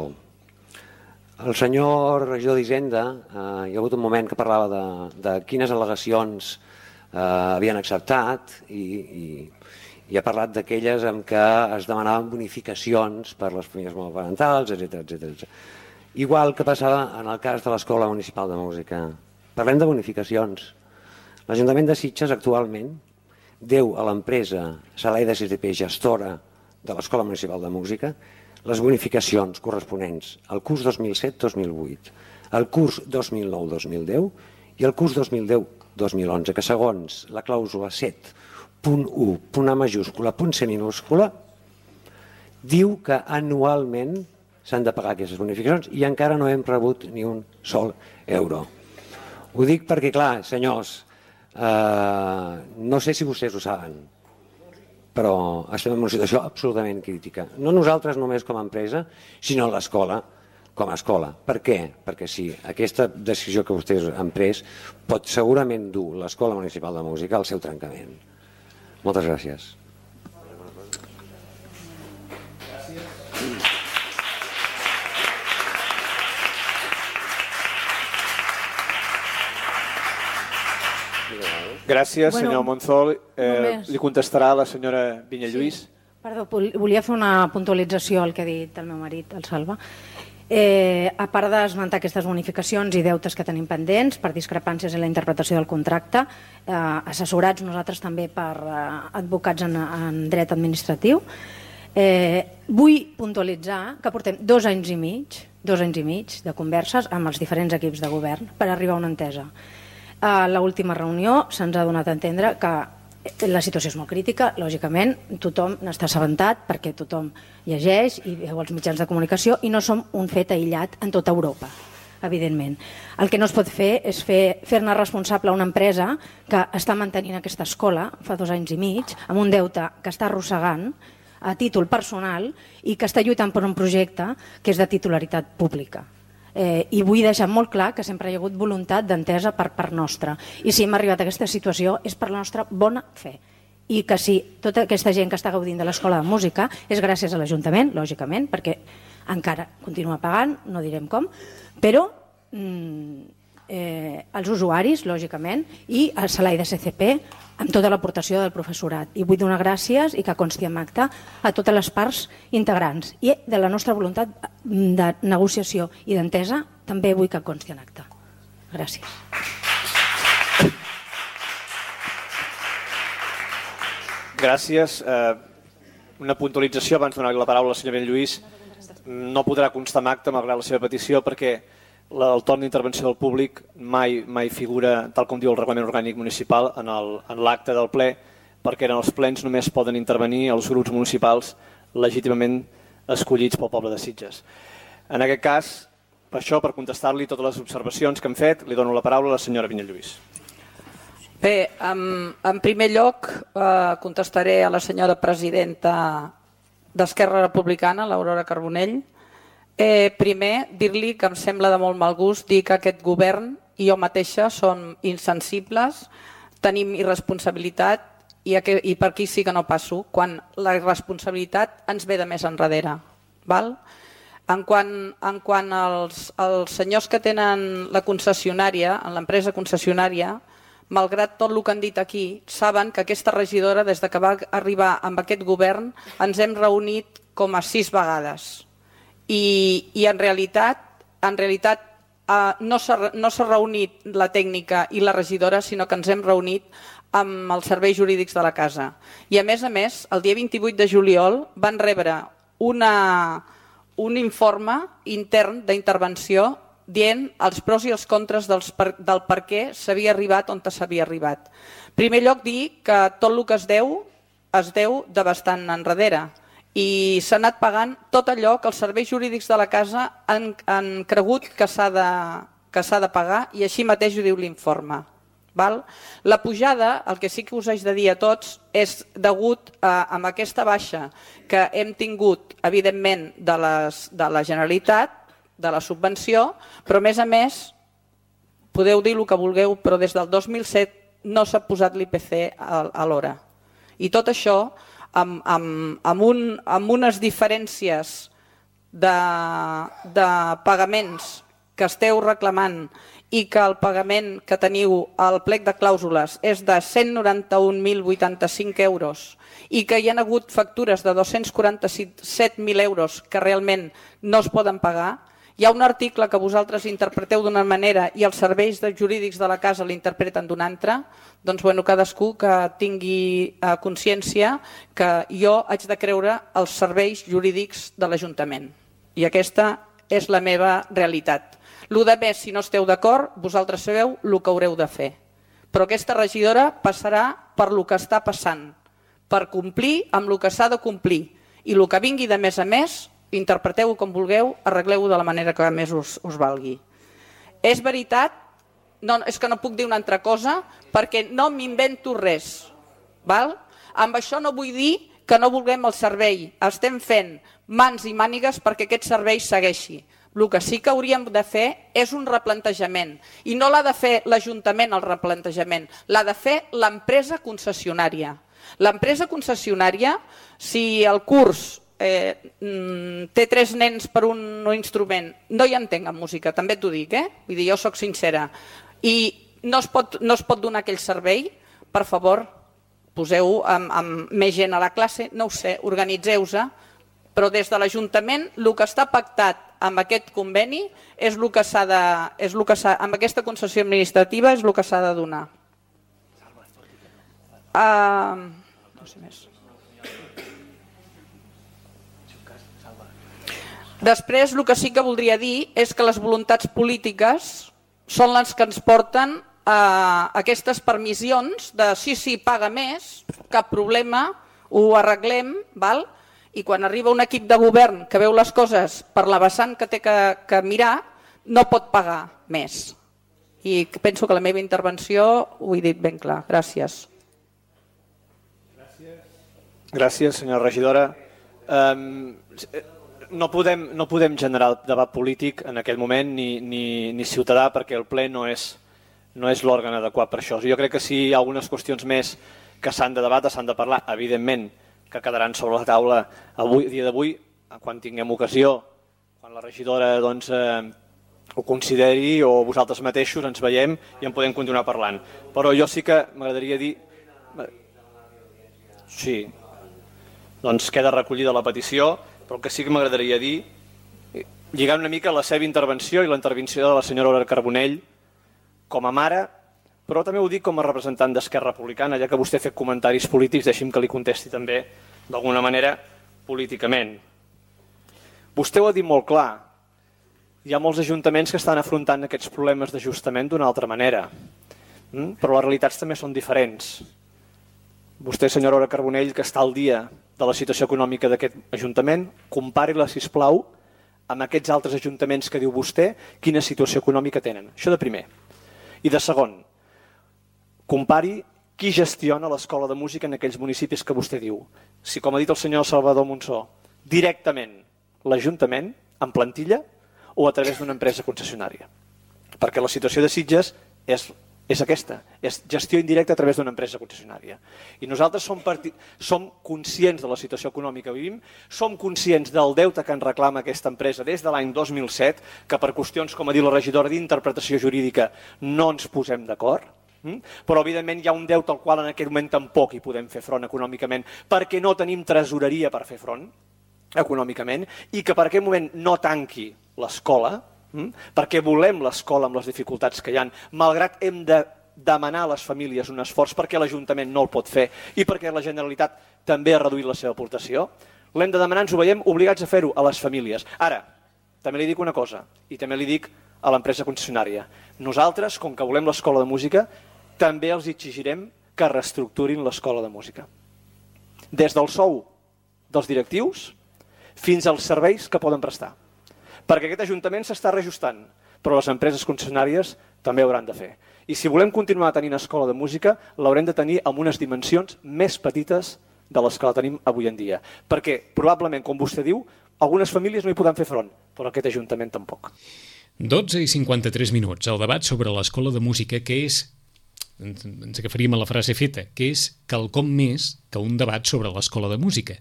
el senyor regidor d'Hisenda, eh, hi ha hagut un moment que parlava de, de quines al·legacions eh, havien acceptat i, i, i ha parlat d'aquelles en què es demanaven bonificacions per les famílies monoparentals, etcètera, etcètera. Igual que passava en el cas de l'Escola Municipal de Música. Parlem de bonificacions. L'Ajuntament de Sitges actualment deu a l'empresa Salai de S C P, gestora de l'Escola Municipal de Música, les bonificacions corresponents al curs dos mil set dos mil vuit, al curs dos mil nou dos mil deu i al curs dos mil deu dos mil onze, que segons la clàusula set punt u, punt A majúscula, punt C minúscula, diu que anualment s'han de pagar aquestes bonificacions i encara no hem rebut ni un sol euro. Ho dic perquè, clar, senyors, eh, no sé si vostès ho saben, però estem en una situació absolutament crítica. No nosaltres només com a empresa, sinó l'escola com a escola. Per què? Perquè si aquesta decisió que vostès han pres pot segurament dur l'Escola Municipal de Música al seu trencament. Moltes gràcies. Gràcies, bueno, senyor Monzol. Eh, només... Li contestarà la senyora Vinyalluís. Sí. Perdó, volia fer una puntualització al que ha dit el meu marit, el Salva. Eh, a part d'esmentar aquestes bonificacions i deutes que tenim pendents per discrepàncies en la interpretació del contracte, eh, assessorats nosaltres també per eh, advocats en, en dret administratiu, eh, vull puntualitzar que portem dos anys i mig, dos anys i mig de converses amb els diferents equips de govern per arribar a una entesa. A l'última reunió se'ns ha donat a entendre que la situació és molt crítica, lògicament, tothom n'està assabentat perquè tothom llegeix i veu els mitjans de comunicació i no som un fet aïllat en tota Europa, evidentment. El que no es pot fer és fer, fer-ne responsable a una empresa que està mantenint aquesta escola fa dos anys i mig, amb un deute que està arrossegant a títol personal i que està lluitant per un projecte que és de titularitat pública. Eh, I vull deixar molt clar que sempre hi ha hagut voluntat d'entesa per part nostra. I si hem arribat a aquesta situació és per la nostra bona fe. I que sí, tota aquesta gent que està gaudint de l'Escola de Música és gràcies a l'Ajuntament, lògicament, perquè encara continua pagant, no direm com, però mm, eh, els usuaris, lògicament, i el salari de C C P amb tota l'aportació del professorat. I vull donar gràcies i que consti en acte a totes les parts integrants. I de la nostra voluntat de negociació i d'entesa també vull que consti en acte. Gràcies. Gràcies. Eh, una puntualització abans de donar la paraula al senyor Benlluís. No podrà constar en acte malgrat la seva petició perquè el torn d'intervenció del públic mai, mai figura, tal com diu el reglament orgànic municipal, en l'acte del ple, perquè en els plens només poden intervenir els grups municipals legítimament escollits pel poble de Sitges. En aquest cas, per això, per contestar-li totes les observacions que hem fet, li dono la paraula a la senyora Vinyalluís. Bé, en, en primer lloc eh, contestaré a la senyora presidenta d'Esquerra Republicana, l'Aurora Carbonell. Eh, primer, dir-li que em sembla de molt mal gust dir que aquest govern i jo mateixa som insensibles, tenim irresponsabilitat i, aquí, i per aquí sí que no passo, quan la irresponsabilitat ens ve de més enrere. Val? En quant, en quant als, als senyors que tenen la concessionària, en l'empresa concessionària, malgrat tot el que han dit aquí, saben que aquesta regidora, des de que va arribar amb aquest govern, ens hem reunit com a sis vegades. I, i en realitat, en realitat eh, no s'ha no s'ha reunit la tècnica i la regidora, sinó que ens hem reunit amb els serveis jurídics de la casa. I a més a més, el dia vint-i-vuit de juliol van rebre una, un informe intern d'intervenció dient els pros i els contres dels per, del per què s'havia arribat on s'havia arribat. En primer lloc, dir que tot el que es deu, es deu de bastant enrere. I s'ha anat pagant tot allò que els serveis jurídics de la casa han, han cregut que s'ha de, que s'ha de pagar i així mateix ho diu l'informe. La pujada, el que sí que us haig de dir a tots, és degut a, a aquesta baixa que hem tingut, evidentment, de, les, de la Generalitat, de la subvenció, però a més a més, podeu dir el que vulgueu, però des del dos mil set no s'ha posat l'I P C a, a l'hora. I tot això Amb, amb, amb, un, amb unes diferències de, de pagaments que esteu reclamant i que el pagament que teniu al plec de clàusules és de cent noranta-un mil vuitanta-cinc euros i que hi ha hagut factures de dos-cents quaranta-set mil euros que realment no es poden pagar, hi ha un article que vosaltres interpreteu d'una manera i els serveis jurídics de la casa l'interpreten d'una altra, doncs bueno, cadascú que tingui eh, consciència que jo haig de creure els serveis jurídics de l'Ajuntament. I aquesta és la meva realitat. Lo de més, si no esteu d'acord, vosaltres sabeu el que haureu de fer. Però aquesta regidora passarà per lo que està passant, per complir amb el que s'ha de complir. I el que vingui de més a més, interpreteu-ho com vulgueu, arregleu-ho de la manera que més us, us valgui. És veritat, no, és que no puc dir una altra cosa, perquè no m'invento res. Val? Amb això no vull dir que no vulguem el servei. Estem fent mans i mànigues perquè aquest servei segueixi. El que sí que hauríem de fer és un replantejament. I no l'ha de fer l'Ajuntament el replantejament, l'ha de fer l'empresa concessionària. L'empresa concessionària, si el curs Eh, té tres nens per un instrument, no hi entenc en música, també t'ho dic, eh? Vull dir, jo soc sincera, i no es pot, no es pot donar aquell servei, per favor, poseu amb, amb més gent a la classe, no ho sé, organitzeu-se, però des de l'Ajuntament el que està pactat amb aquest conveni, és el que s'ha de, és el que s'ha, amb aquesta concessió administrativa és el que s'ha de donar. Uh, no sé més. Després, el que sí que voldria dir és que les voluntats polítiques són les que ens porten a aquestes permissions de sí, sí, paga més, cap problema, ho arreglem, val? I quan arriba un equip de govern que veu les coses per la vessant que té que, que mirar, no pot pagar més. I penso que la meva intervenció ho he dit ben clar. Gràcies. Gràcies, senyora regidora. Um, no, podem, no podem generar el debat polític en aquest moment ni, ni, ni ciutadà perquè el ple no és, no és l'òrgan adequat per això. Jo crec que si hi ha algunes qüestions més que s'han de debatre, s'han de parlar, evidentment que quedaran sobre la taula avui, dia d'avui, quan tinguem ocasió, quan la regidora doncs, eh, ho consideri o vosaltres mateixos ens veiem i en podem continuar parlant. Però jo sí que m'agradaria dir... Sí, doncs queda recollida la petició, però el que sí que m'agradaria dir, lligant una mica la seva intervenció i la intervenció de la senyora Aurora Carbonell com a mare, però també ho dic com a representant d'Esquerra Republicana, ja que vostè ha fet comentaris polítics, deixi'm que li contesti també d'alguna manera políticament. Vostè ho ha dit molt clar, hi ha molts ajuntaments que estan afrontant aquests problemes d'ajustament d'una altra manera, però les realitats també són diferents. Vostè, senyora Aurora Carbonell, que està al dia de la situació econòmica d'aquest ajuntament, compari-la, sisplau, amb aquests altres ajuntaments que diu vostè, quina situació econòmica tenen. Això de primer. I de segon, compari qui gestiona l'escola de música en aquells municipis que vostè diu. Si, com ha dit el senyor Salvador Monsó, directament l'Ajuntament, en plantilla, o a través d'una empresa concessionària. Perquè la situació de Sitges és, és aquesta, és gestió indirecta a través d'una empresa concessionària. I nosaltres som, parti... som conscients de la situació econòmica que vivim, som conscients del deute que ens reclama aquesta empresa des de l'any dos mil set, que per qüestions, com ha dit la regidora, d'interpretació jurídica no ens posem d'acord, però evidentment hi ha un deute al qual en aquest moment tampoc hi podem fer front econòmicament perquè no tenim tresoreria per fer front econòmicament i que per aquest moment no tanqui l'escola, perquè volem l'escola amb les dificultats que hi ha, malgrat hem de demanar a les famílies un esforç perquè l'Ajuntament no el pot fer i perquè la Generalitat també ha reduït la seva aportació, l'hem de demanar, ens ho veiem obligats a fer-ho a les famílies. Ara, també li dic una cosa, i també li dic a l'empresa concessionària. Nosaltres, com que volem l'escola de música, també els exigirem que reestructurin l'escola de música. Des del sou dels directius fins als serveis que poden prestar. Perquè aquest Ajuntament s'està reajustant, però les empreses concessionàries també ho hauran de fer. I si volem continuar tenint escola de música, l'haurem de tenir amb unes dimensions més petites de les que la tenim avui en dia. Perquè, probablement, com vostè diu, algunes famílies no hi poden fer front, però aquest Ajuntament tampoc. dotze i cinquanta-tres minuts. El debat sobre l'escola de música, que és, ens agafaríem a la frase feta, que és quelcom més que un debat sobre l'escola de música.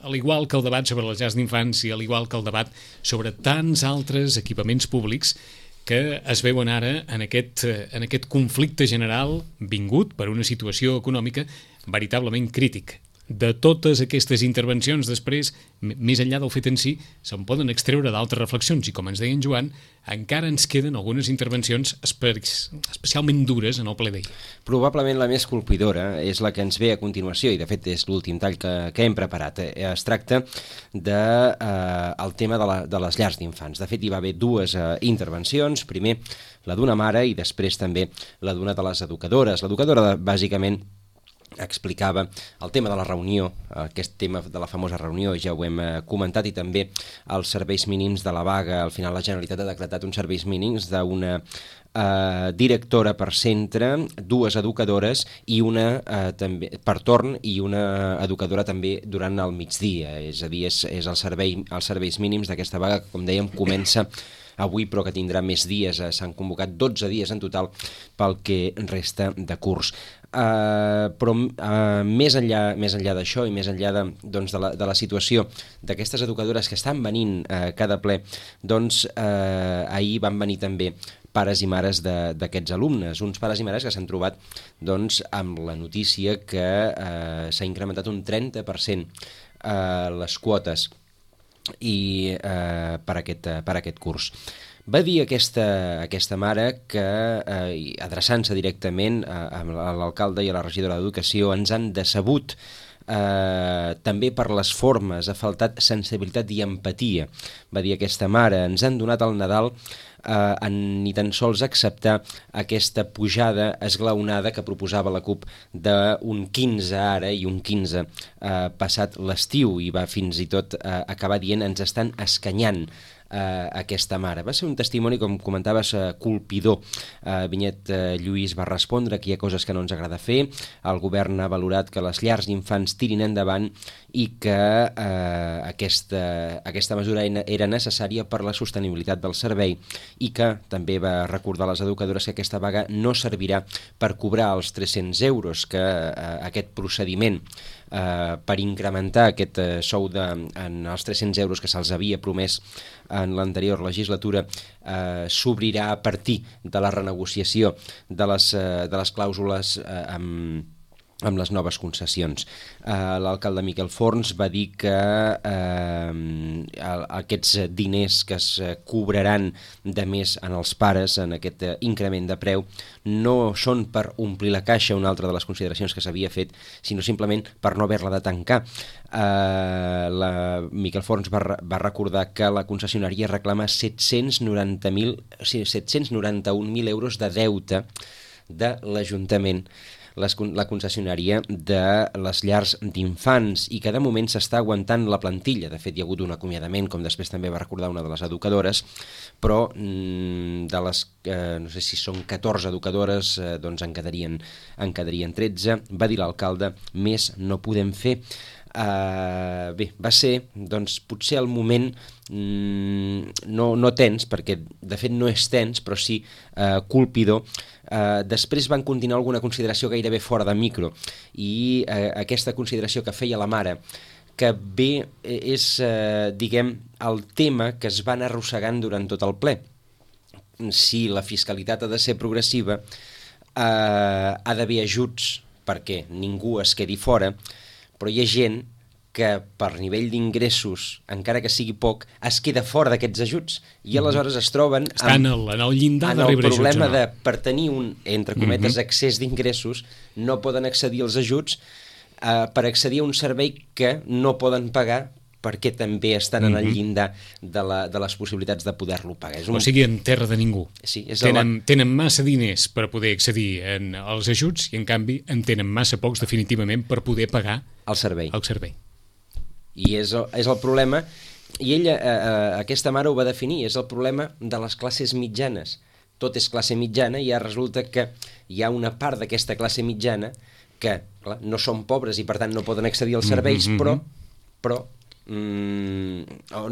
Al igual que el debat sobre les llars d'infants i al igual que el debat sobre tants altres equipaments públics que es veuen ara en aquest, en aquest conflicte general vingut per una situació econòmica veritablement crítica. De totes aquestes intervencions després, més enllà del fet en si, se'n poden extreure d'altres reflexions i, com ens deia en Joan, encara ens queden algunes intervencions espe especialment dures en el ple d'ahir. Probablement la més colpidora és la que ens ve a continuació i de fet és l'últim tall que, que hem preparat. Es tracta del de, eh, tema de, la, de les llars d'infants. De fet hi va haver dues eh, intervencions, primer la d'una mare i després també la d'una de les educadores. L'educadora bàsicament explicava el tema de la reunió, aquest tema de la famosa reunió, ja ho hem comentat, i també els serveis mínims de la vaga. Al final la Generalitat ha decretat uns serveis mínims d'una eh, directora per centre, dues educadores i una eh, també per torn i una educadora també durant el migdia. És a dir, és, és el servei, els serveis mínims d'aquesta vaga que, com dèiem, comença avui però que tindrà més dies. S'han convocat dotze dies en total pel que resta de curs. Uh, però uh, més enllà, més enllà d'això i més enllà de, doncs, de, la, de la situació d'aquestes educadores que estan venint uh, cada ple, doncs uh, ahir van venir també pares i mares d'aquests alumnes, uns pares i mares que s'han trobat doncs, amb la notícia que uh, s'ha incrementat un trenta per cent uh, les quotes i eh, per, aquest, per aquest curs. Va dir aquesta, aquesta mare que, eh, adreçant-se directament a, a l'alcalde i a la regidora d'Educació, ens han decebut eh, també per les formes, ha faltat sensibilitat i empatia. Va dir aquesta mare, ens han donat el Nadal eh, en ni tan sols acceptar aquesta pujada esglaonada que proposava la CUP d'un quinze ara i un quinze eh, passat l'estiu, i va fins i tot eh, acabar dient ens estan escanyant Uh, aquesta mare. Va ser un testimoni, com comentaves, uh, colpidor. Uh, Vinyet uh, Lluís va respondre que hi ha coses que no ens agrada fer, el govern ha valorat que les llars d'infants tirin endavant i que uh, aquesta, aquesta mesura era necessària per la sostenibilitat del servei, i que també va recordar a les educadores que aquesta vaga no servirà per cobrar els tres-cents euros, que uh, aquest procediment Uh, per incrementar aquest uh, sou de, en els tres-cents euros que se'ls havia promès en l'anterior legislatura uh, s'obrirà a partir de la renegociació de les, uh, de les clàusules uh, amb amb les noves concessions. Uh, l'alcalde Miquel Forns va dir que uh, aquests diners que es cobraran de més en els pares, en aquest uh, increment de preu, no són per omplir la caixa, una altra de les consideracions que s'havia fet, sinó simplement per no haver-la de tancar. Uh, la Miquel Forns va, va recordar que la concessionària reclama set-cents noranta mil, o sigui, set-cents noranta-un mil euros de deute de l'Ajuntament, Les, la concessionària de les llars d'infants, i que de moment s'està aguantant la plantilla. De fet, hi ha hagut un acomiadament, com després també va recordar una de les educadores, però mm, de les, eh, no sé si són catorze educadores, eh, doncs en quedarien, en quedarien tretze. Va dir l'alcalde, més no podem fer. Uh, bé, va ser doncs potser el moment mm, no, no tens, perquè de fet no és tens, però sí uh, colpidor. Uh, després van continuar alguna consideració gairebé fora de micro, i uh, aquesta consideració que feia la mare, que bé és, uh, diguem, el tema que es van arrossegant durant tot el ple. Si la fiscalitat ha de ser progressiva, uh, ha d'haver ajuts perquè ningú es quedi fora, però hi ha gent que per nivell d'ingressos, encara que sigui poc, es queda fora d'aquests ajuts, i aleshores es troben Estan amb, en el llindar en de el rebre problema ajuts, de, per tenir un, entre cometes, uh-huh. excés d'ingressos, no poden accedir als ajuts uh, per accedir a un servei que no poden pagar, perquè també estan en el llindar de, la, de les possibilitats de poder-lo pagar. És un... O sigui, en terra de ningú. Sí, és tenen, el... tenen massa diners per poder accedir en, als ajuts, i en canvi en tenen massa pocs definitivament per poder pagar el servei. El servei. I és el, és el problema, i ella, eh, aquesta mare ho va definir, és el problema de les classes mitjanes. Tot és classe mitjana, i ja resulta que hi ha una part d'aquesta classe mitjana que, clar, no són pobres i per tant no poden accedir als serveis, mm-hmm. però, però Mm,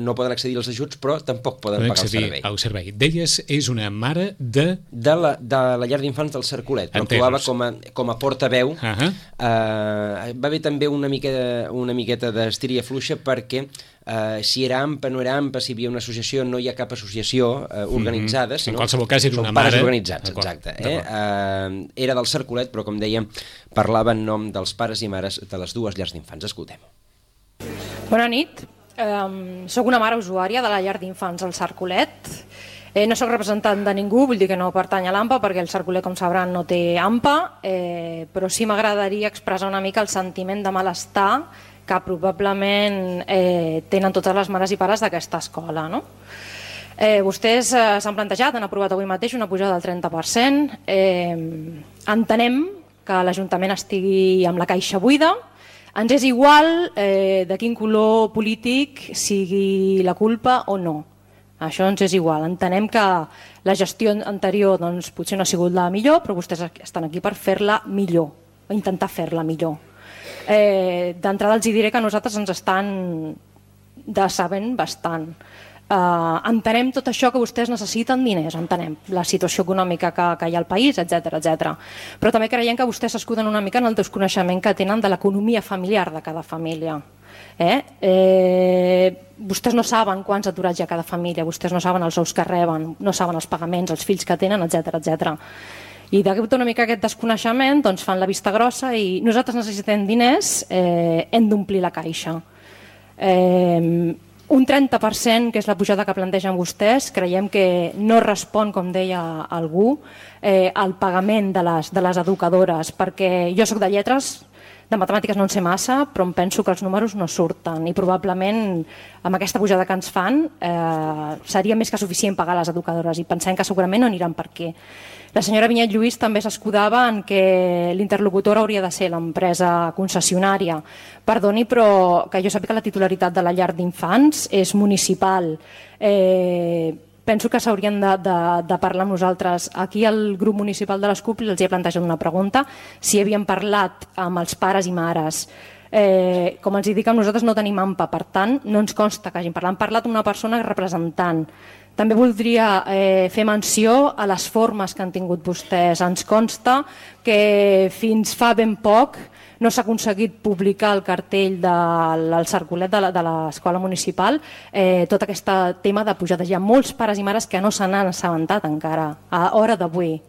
no poden accedir als ajuts, però tampoc poden pagar el servei. Al servei. Deies, és una mare de... De la, de la llar d'infants del Cercolet, però actuava com a, com a portaveu. Uh-huh. uh, va haver també una miqueta, una miqueta d'estiria fluixa, perquè uh, si era A M P A, no era A M P A, si hi havia una associació, no hi ha cap associació uh, organitzada. Mm-hmm. Sinó en qualsevol cas era una mare... mare... organitzats, exacte. Eh? Uh, era del Cercolet, però com dèiem, parlava en nom dels pares i mares de les dues llars d'infants. Escoltem-ho. Bona nit, um, soc una mare usuària de la llar d'infants al Cercolet. Eh, no soc representant de ningú, vull dir que no pertany a l'A M P A, perquè el Cercolet, com sabran, no té A M P A, eh, però sí m'agradaria expressar una mica el sentiment de malestar que probablement eh, tenen totes les mares i pares d'aquesta escola, no? Eh, vostès eh, s'han plantejat, han aprovat avui mateix una pujada del trenta per cent. Eh, entenem que l'Ajuntament estigui amb la caixa buida. Ens és igual eh, de quin color polític sigui la culpa o no. Això ens és igual. Entenem que la gestió anterior doncs, potser no ha sigut la millor, però vostès estan aquí per fer-la millor, o intentar fer-la millor. Eh, D'entrada els diré que nosaltres ens estan decebent bastant. Uh, entenem tot això, que vostès necessiten diners, entenem la situació econòmica que, que hi ha al país, etcètera, etcètera. Però també creiem que vostès s'escuden una mica en el desconeixement que tenen de l'economia familiar de cada família. Eh? Eh, vostès no saben quants aturats hi ha a cada família, vostès no saben els sous que reben, no saben els pagaments, els fills que tenen, etcètera, etcètera. I d'aquest una mica aquest desconeixement doncs, fan la vista grossa, i nosaltres necessitem diners, eh, hem d'omplir la caixa. Eh, un trenta per cent, que és la pujada que plantegen vostès, creiem que no respon, com deia algú, eh, al pagament de les, de les educadores, perquè jo sóc de lletres, de matemàtiques no en sé massa, però em penso que els números no surten i probablement amb aquesta pujada que ens fan eh, seria més que suficient pagar les educadores i pensem que segurament no aniran per aquí. La senyora Vinyet Lluís també s'escudava en que l'interlocutor hauria de ser l'empresa concessionària. Perdoni, però que jo sàpiga que la titularitat de la llar d'infants és municipal. Eh, penso que s'haurien de, de, de parlar amb nosaltres. Aquí al grup municipal de les C U P els he plantejat una pregunta, si havien parlat amb els pares i mares. Eh, com els dic, nosaltres no tenim A M P A, per tant, no ens consta que hagin parlat. Han parlat amb una persona representant. També voldria eh, fer menció a les formes que han tingut vostès. Ens consta que fins fa ben poc no s'ha aconseguit publicar el cartell del circulet de l'escola municipal eh, tot aquest tema de pujades. Hi ha molts pares i mares que no se n'han assabentat encara, a hora d'avui.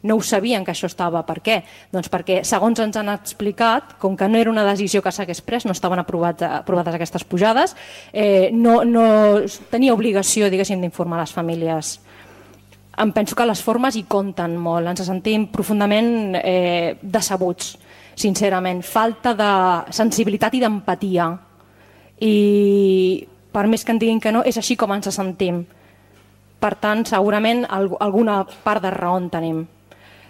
No ho sabien que això estava. Per què? Doncs perquè, segons ens han explicat, com que no era una decisió que s'hagués pres, no estaven aprovats, aprovades aquestes pujades, eh, no, no tenia obligació, diguéssim, d'informar les famílies. Em penso que les formes hi compten molt. Ens sentim profundament eh, decebuts, sincerament. Falta de sensibilitat i d'empatia. I per més que en diguin que no, és així com ens sentim. Per tant, segurament alguna part de raó en tenim.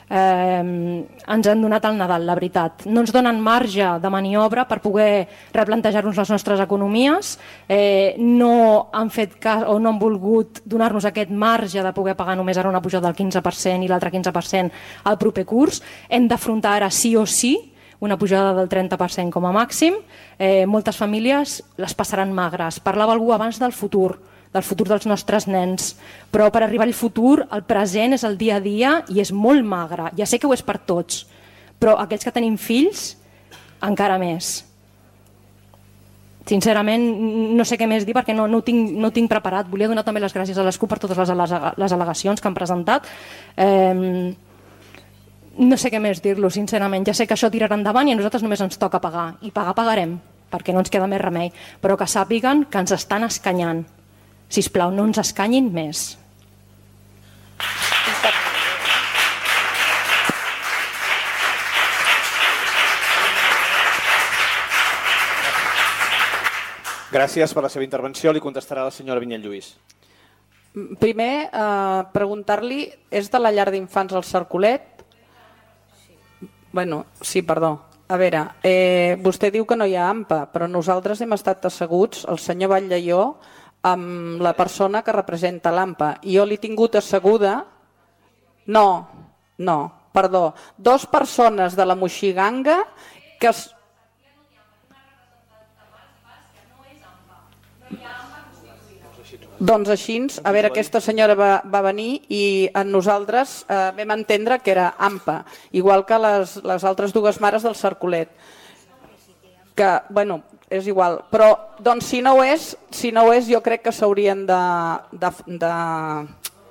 Eh, ens han donat el Nadal, la veritat. No ens donen marge de maniobra per poder replantejar-nos les nostres economies, eh, no han fet cas o no han volgut donar-nos aquest marge de poder pagar només ara una pujada del quinze per cent i l'altre quinze per cent al proper curs. Hem d'afrontar ara sí o sí una pujada del trenta per cent com a màxim. Eh, moltes famílies les passaran magres. Parlava algú abans del futur, del futur dels nostres nens, però per arribar al futur el present és el dia a dia i és molt magre. Ja sé que ho és per tots, però aquells que tenim fills encara més. Sincerament no sé què més dir perquè no, no, ho tinc, no ho tinc preparat. Volia donar també les gràcies a les C U P per totes les, les al·legacions que han presentat. Eh, no sé què més dir-lo, sincerament. Ja sé que això tirarà endavant i a nosaltres només ens toca pagar, i pagar pagarem perquè no ens queda més remei, però que sàpiguen que ens estan escanyant. Sisplau, no ens escanyin més. Gràcies per la seva intervenció. Li contestarà la senyora Vinyet Lluís. Primer, eh, preguntar-li, és de la llar d'infants al Cercolet? Bueno, sí, perdó. A veure, eh, vostè diu que no hi ha A M P A, però nosaltres hem estat asseguts, el senyor Batllaió, amb la persona que representa l'A M P A. I jo l'he tingut asseguda... No, no, perdó. Dos persones de la Moixiganga que... Es... Doncs així, a veure, aquesta senyora va, va venir i en nosaltres eh, vam entendre que era A M P A, igual que les, les altres dues mares del Cercolet. Que, bueno, és igual, però doncs si no ho és, si no ho és jo crec que s'haurien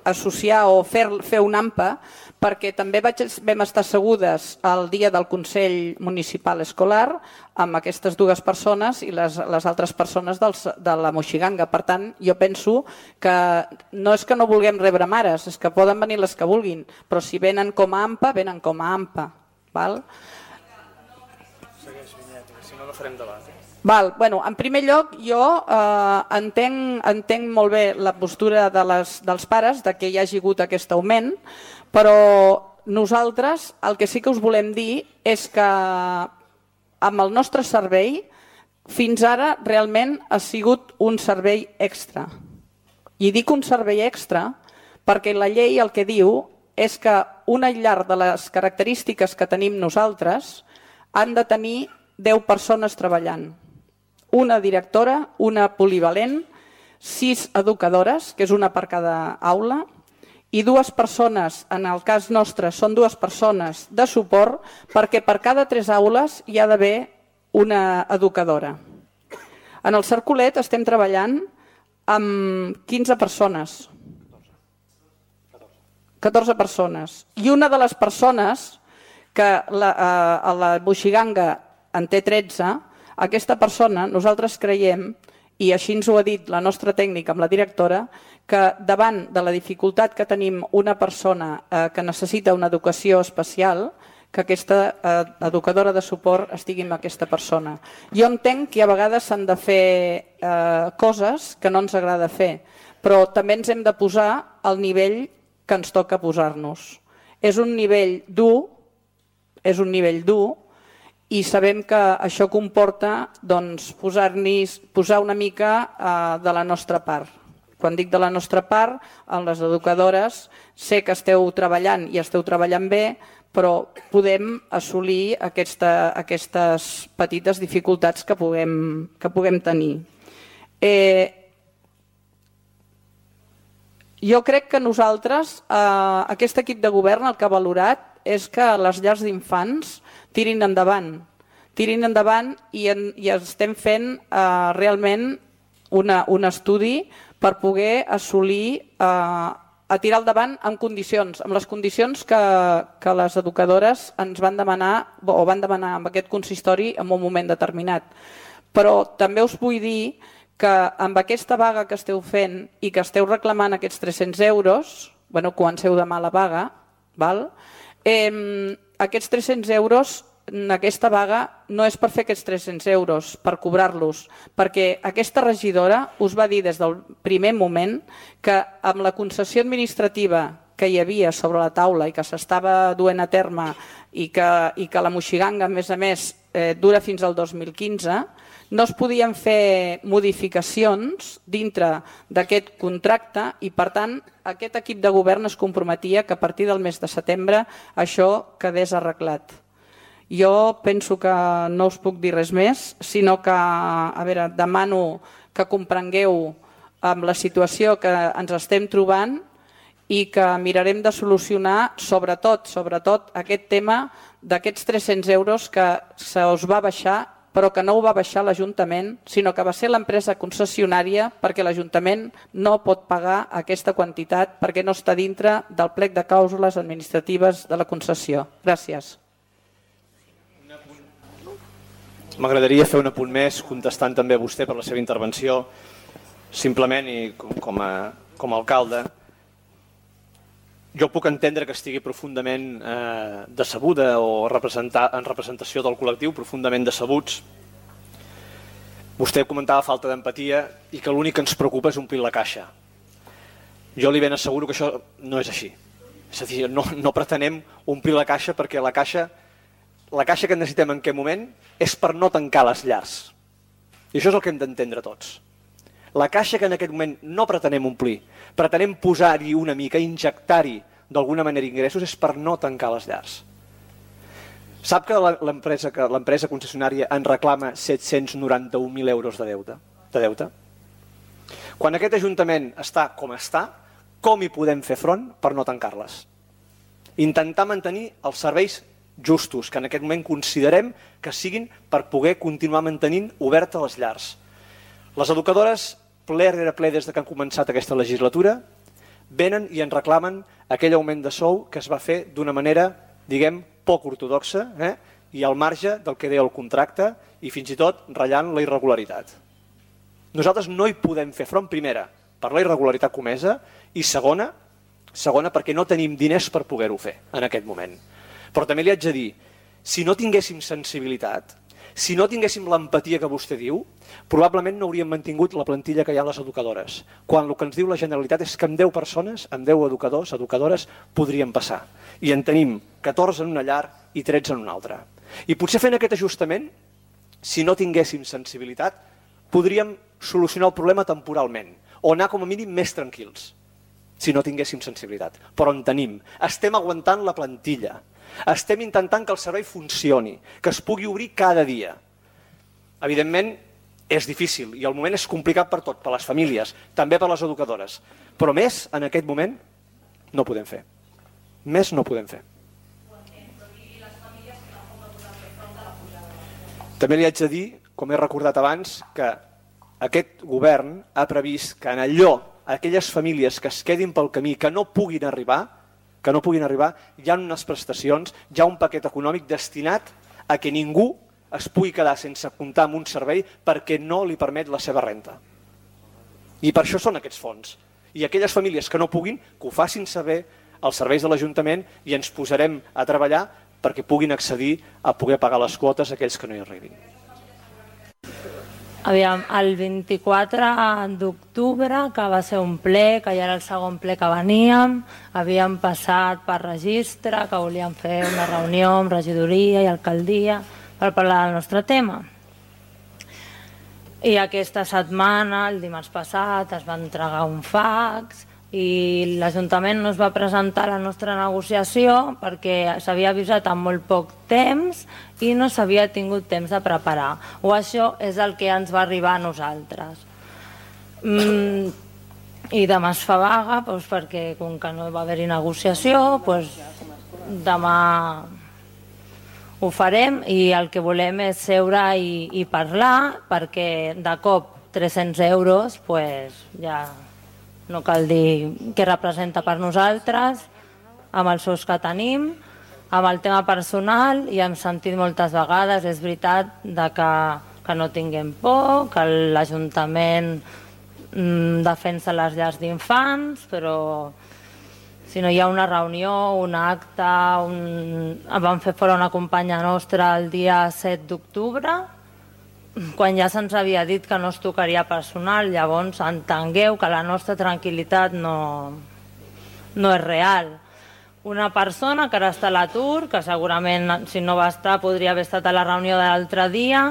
d'associar o fer, fer un A M P A, perquè també vaig, vam estar assegudes el dia del Consell Municipal Escolar amb aquestes dues persones i les, les altres persones dels, de la Moixiganga. Per tant, jo penso que no és que no vulguem rebre mares, és que poden venir les que vulguin, però si venen com a A M P A, venen com a A M P A. Val? Segueix, Vinyet, si no, no farem debat. Val, bueno, en primer lloc, jo eh, entenc, entenc molt bé la postura de les, dels pares de que hi hagi hagut aquest augment, però nosaltres el que sí que us volem dir és que amb el nostre servei fins ara realment ha sigut un servei extra. I dic un servei extra perquè la llei el que diu és que una llar de les característiques que tenim nosaltres han de tenir deu persones treballant. Una directora, una polivalent, sis educadores, que és una per cada aula, i dues persones, en el cas nostre són dues persones de suport, perquè per cada tres aules hi ha d'haver una educadora. En el Cercolet estem treballant amb quinze persones. catorze persones. I una de les persones que la, a la Moixiganga en té tretze, aquesta persona, nosaltres creiem, i així ens ho ha dit la nostra tècnica amb la directora, que davant de la dificultat que tenim una persona eh, que necessita una educació especial, que aquesta eh, educadora de suport estigui amb aquesta persona. Jo entenc que a vegades s'han de fer eh, coses que no ens agrada fer, però també ens hem de posar al nivell que ens toca posar-nos. És un nivell dur, és un nivell dur, i sabem que això comporta doncs, posar-hi posar una mica eh, de la nostra part. Quan dic de la nostra part, en les educadores, sé que esteu treballant i esteu treballant bé, però podem assolir aquesta, aquestes petites dificultats que puguem, que puguem tenir. Eh, jo crec que nosaltres, eh, aquest equip de govern, el que ha valorat és que les llars d'infants tirin endavant. Tirin endavant i, en, i estem fent eh, realment una, un estudi per poder assolir, eh, a tirar endavant amb condicions, amb les condicions que, que les educadores ens van demanar o van demanar amb aquest consistori en un moment determinat. Però també us vull dir que amb aquesta vaga que esteu fent i que esteu reclamant aquests tres-cents euros, bueno, comenceu demà la vaga, val? Eh, aquests tres-cents euros, aquesta vaga no és per fer aquests tres-cents euros, per cobrar-los, perquè aquesta regidora us va dir des del primer moment que amb la concessió administrativa que hi havia sobre la taula i que s'estava duent a terme i que, i que la moixiganga, a més a més, eh, dura fins al dos mil quinze, no es podien fer modificacions dintre d'aquest contracte i, per tant, aquest equip de govern es comprometia que a partir del mes de setembre això quedés arreglat. Jo penso que no us puc dir res més, sinó que, a veure, demano que comprengueu amb la situació que ens estem trobant i que mirarem de solucionar sobretot, sobretot aquest tema d'aquests tres-cents euros que se us va baixar, però que no ho va baixar l'Ajuntament, sinó que va ser l'empresa concessionària perquè l'Ajuntament no pot pagar aquesta quantitat perquè no està dintre del plec de clàusules administratives de la concessió. Gràcies. M'agradaria fer un apunt més, contestant també a vostè per la seva intervenció, simplement i com a, com a alcalde. Jo puc entendre que estigui profundament eh, decebuda o representar, en representació del col·lectiu, profundament decebuts. Vostè comentava falta d'empatia i que l'únic que ens preocupa és omplir la caixa. Jo li ben asseguro que això no és així. És a dir, no, no pretenem omplir la caixa perquè la caixa, la caixa que necessitem en aquest moment és per no tancar les llars. I això és el que hem d'entendre tots. La caixa que en aquest moment no pretenem omplir, pretenem posar-hi una mica, injectar-hi d'alguna manera ingressos, és per no tancar les llars. Sap que l'empresa que l'empresa concessionària en reclama set-cents noranta-un mil euros de deute, de deute? Quan aquest Ajuntament està com està, com hi podem fer front per no tancar-les? Intentar mantenir els serveis justos, que en aquest moment considerem que siguin per poder continuar mantenint obertes les llars. Les educadores, ple rere ple des que han començat aquesta legislatura, venen i ens reclamen aquell augment de sou que es va fer d'una manera, diguem, poc ortodoxa, eh? i al marge del que deia el contracte i fins i tot ratllant la irregularitat. Nosaltres no hi podem fer front, primera, per la irregularitat comesa i segona, segona perquè no tenim diners per poder-ho fer en aquest moment. Però també li haig de dir, si no tinguéssim sensibilitat, si no tinguéssim l'empatia que vostè diu, probablement no hauríem mantingut la plantilla que hi ha a les educadores, quan el que ens diu la Generalitat és que amb deu persones, amb deu educadors, educadores, podríem passar. I en tenim catorze en una llar i tretze en una altra. I potser fent aquest ajustament, si no tinguéssim sensibilitat, podríem solucionar el problema temporalment, o anar com a mínim més tranquils, si no tinguéssim sensibilitat. Però en tenim. Estem aguantant la plantilla. Estem intentant que el servei funcioni, que es pugui obrir cada dia. Evidentment, és difícil i el moment és complicat per tot, per les famílies, també per les educadores. Però més, en aquest moment, no podem fer. Més no podem fer. També li haig de dir, com he recordat abans, que aquest govern ha previst que en allò, aquelles famílies que es quedin pel camí, que no puguin arribar, que no puguin arribar, hi ha unes prestacions, hi ha un paquet econòmic destinat a que ningú es pugui quedar sense comptar amb un servei perquè no li permet la seva renta. I per això són aquests fons. I aquelles famílies que no puguin, que ho facin saber als serveis de l'Ajuntament i ens posarem a treballar perquè puguin accedir a poder pagar les quotes a aquells que no hi arribin. Aviam, el vint-i-quatre d'octubre, que va ser un ple, que ja era el segon ple que veníem, havíem passat per registre, que volíem fer una reunió amb regidoria i alcaldia per parlar del nostre tema. I aquesta setmana, el dimarts passat, es va entregar un fax i l'Ajuntament no es va presentar a la nostra negociació perquè s'havia avisat amb molt poc temps i no s'havia tingut temps de preparar. O això és el que ens va arribar a nosaltres. Mm, I demà es fa vaga doncs, perquè com que no va haver-hi negociació, doncs, demà ho farem i el que volem és seure i, i parlar perquè de cop tres-cents euros pues, ja no cal dir què representa per nosaltres, amb els sous que tenim, amb el tema personal, i hem sentit moltes vegades, és veritat, de que, que no tinguem por, que l'Ajuntament mm, defensa les llars d'infants, però si no hi ha una reunió, un acte, un... vam fer fora una companya nostra el dia set d'octubre, quan ja se'ns havia dit que no es tocaria personal, llavors entengueu que la nostra tranquil·litat no, no és real. Una persona que ara està a l'atur, que segurament si no va estar podria haver estat a la reunió de l'altre dia,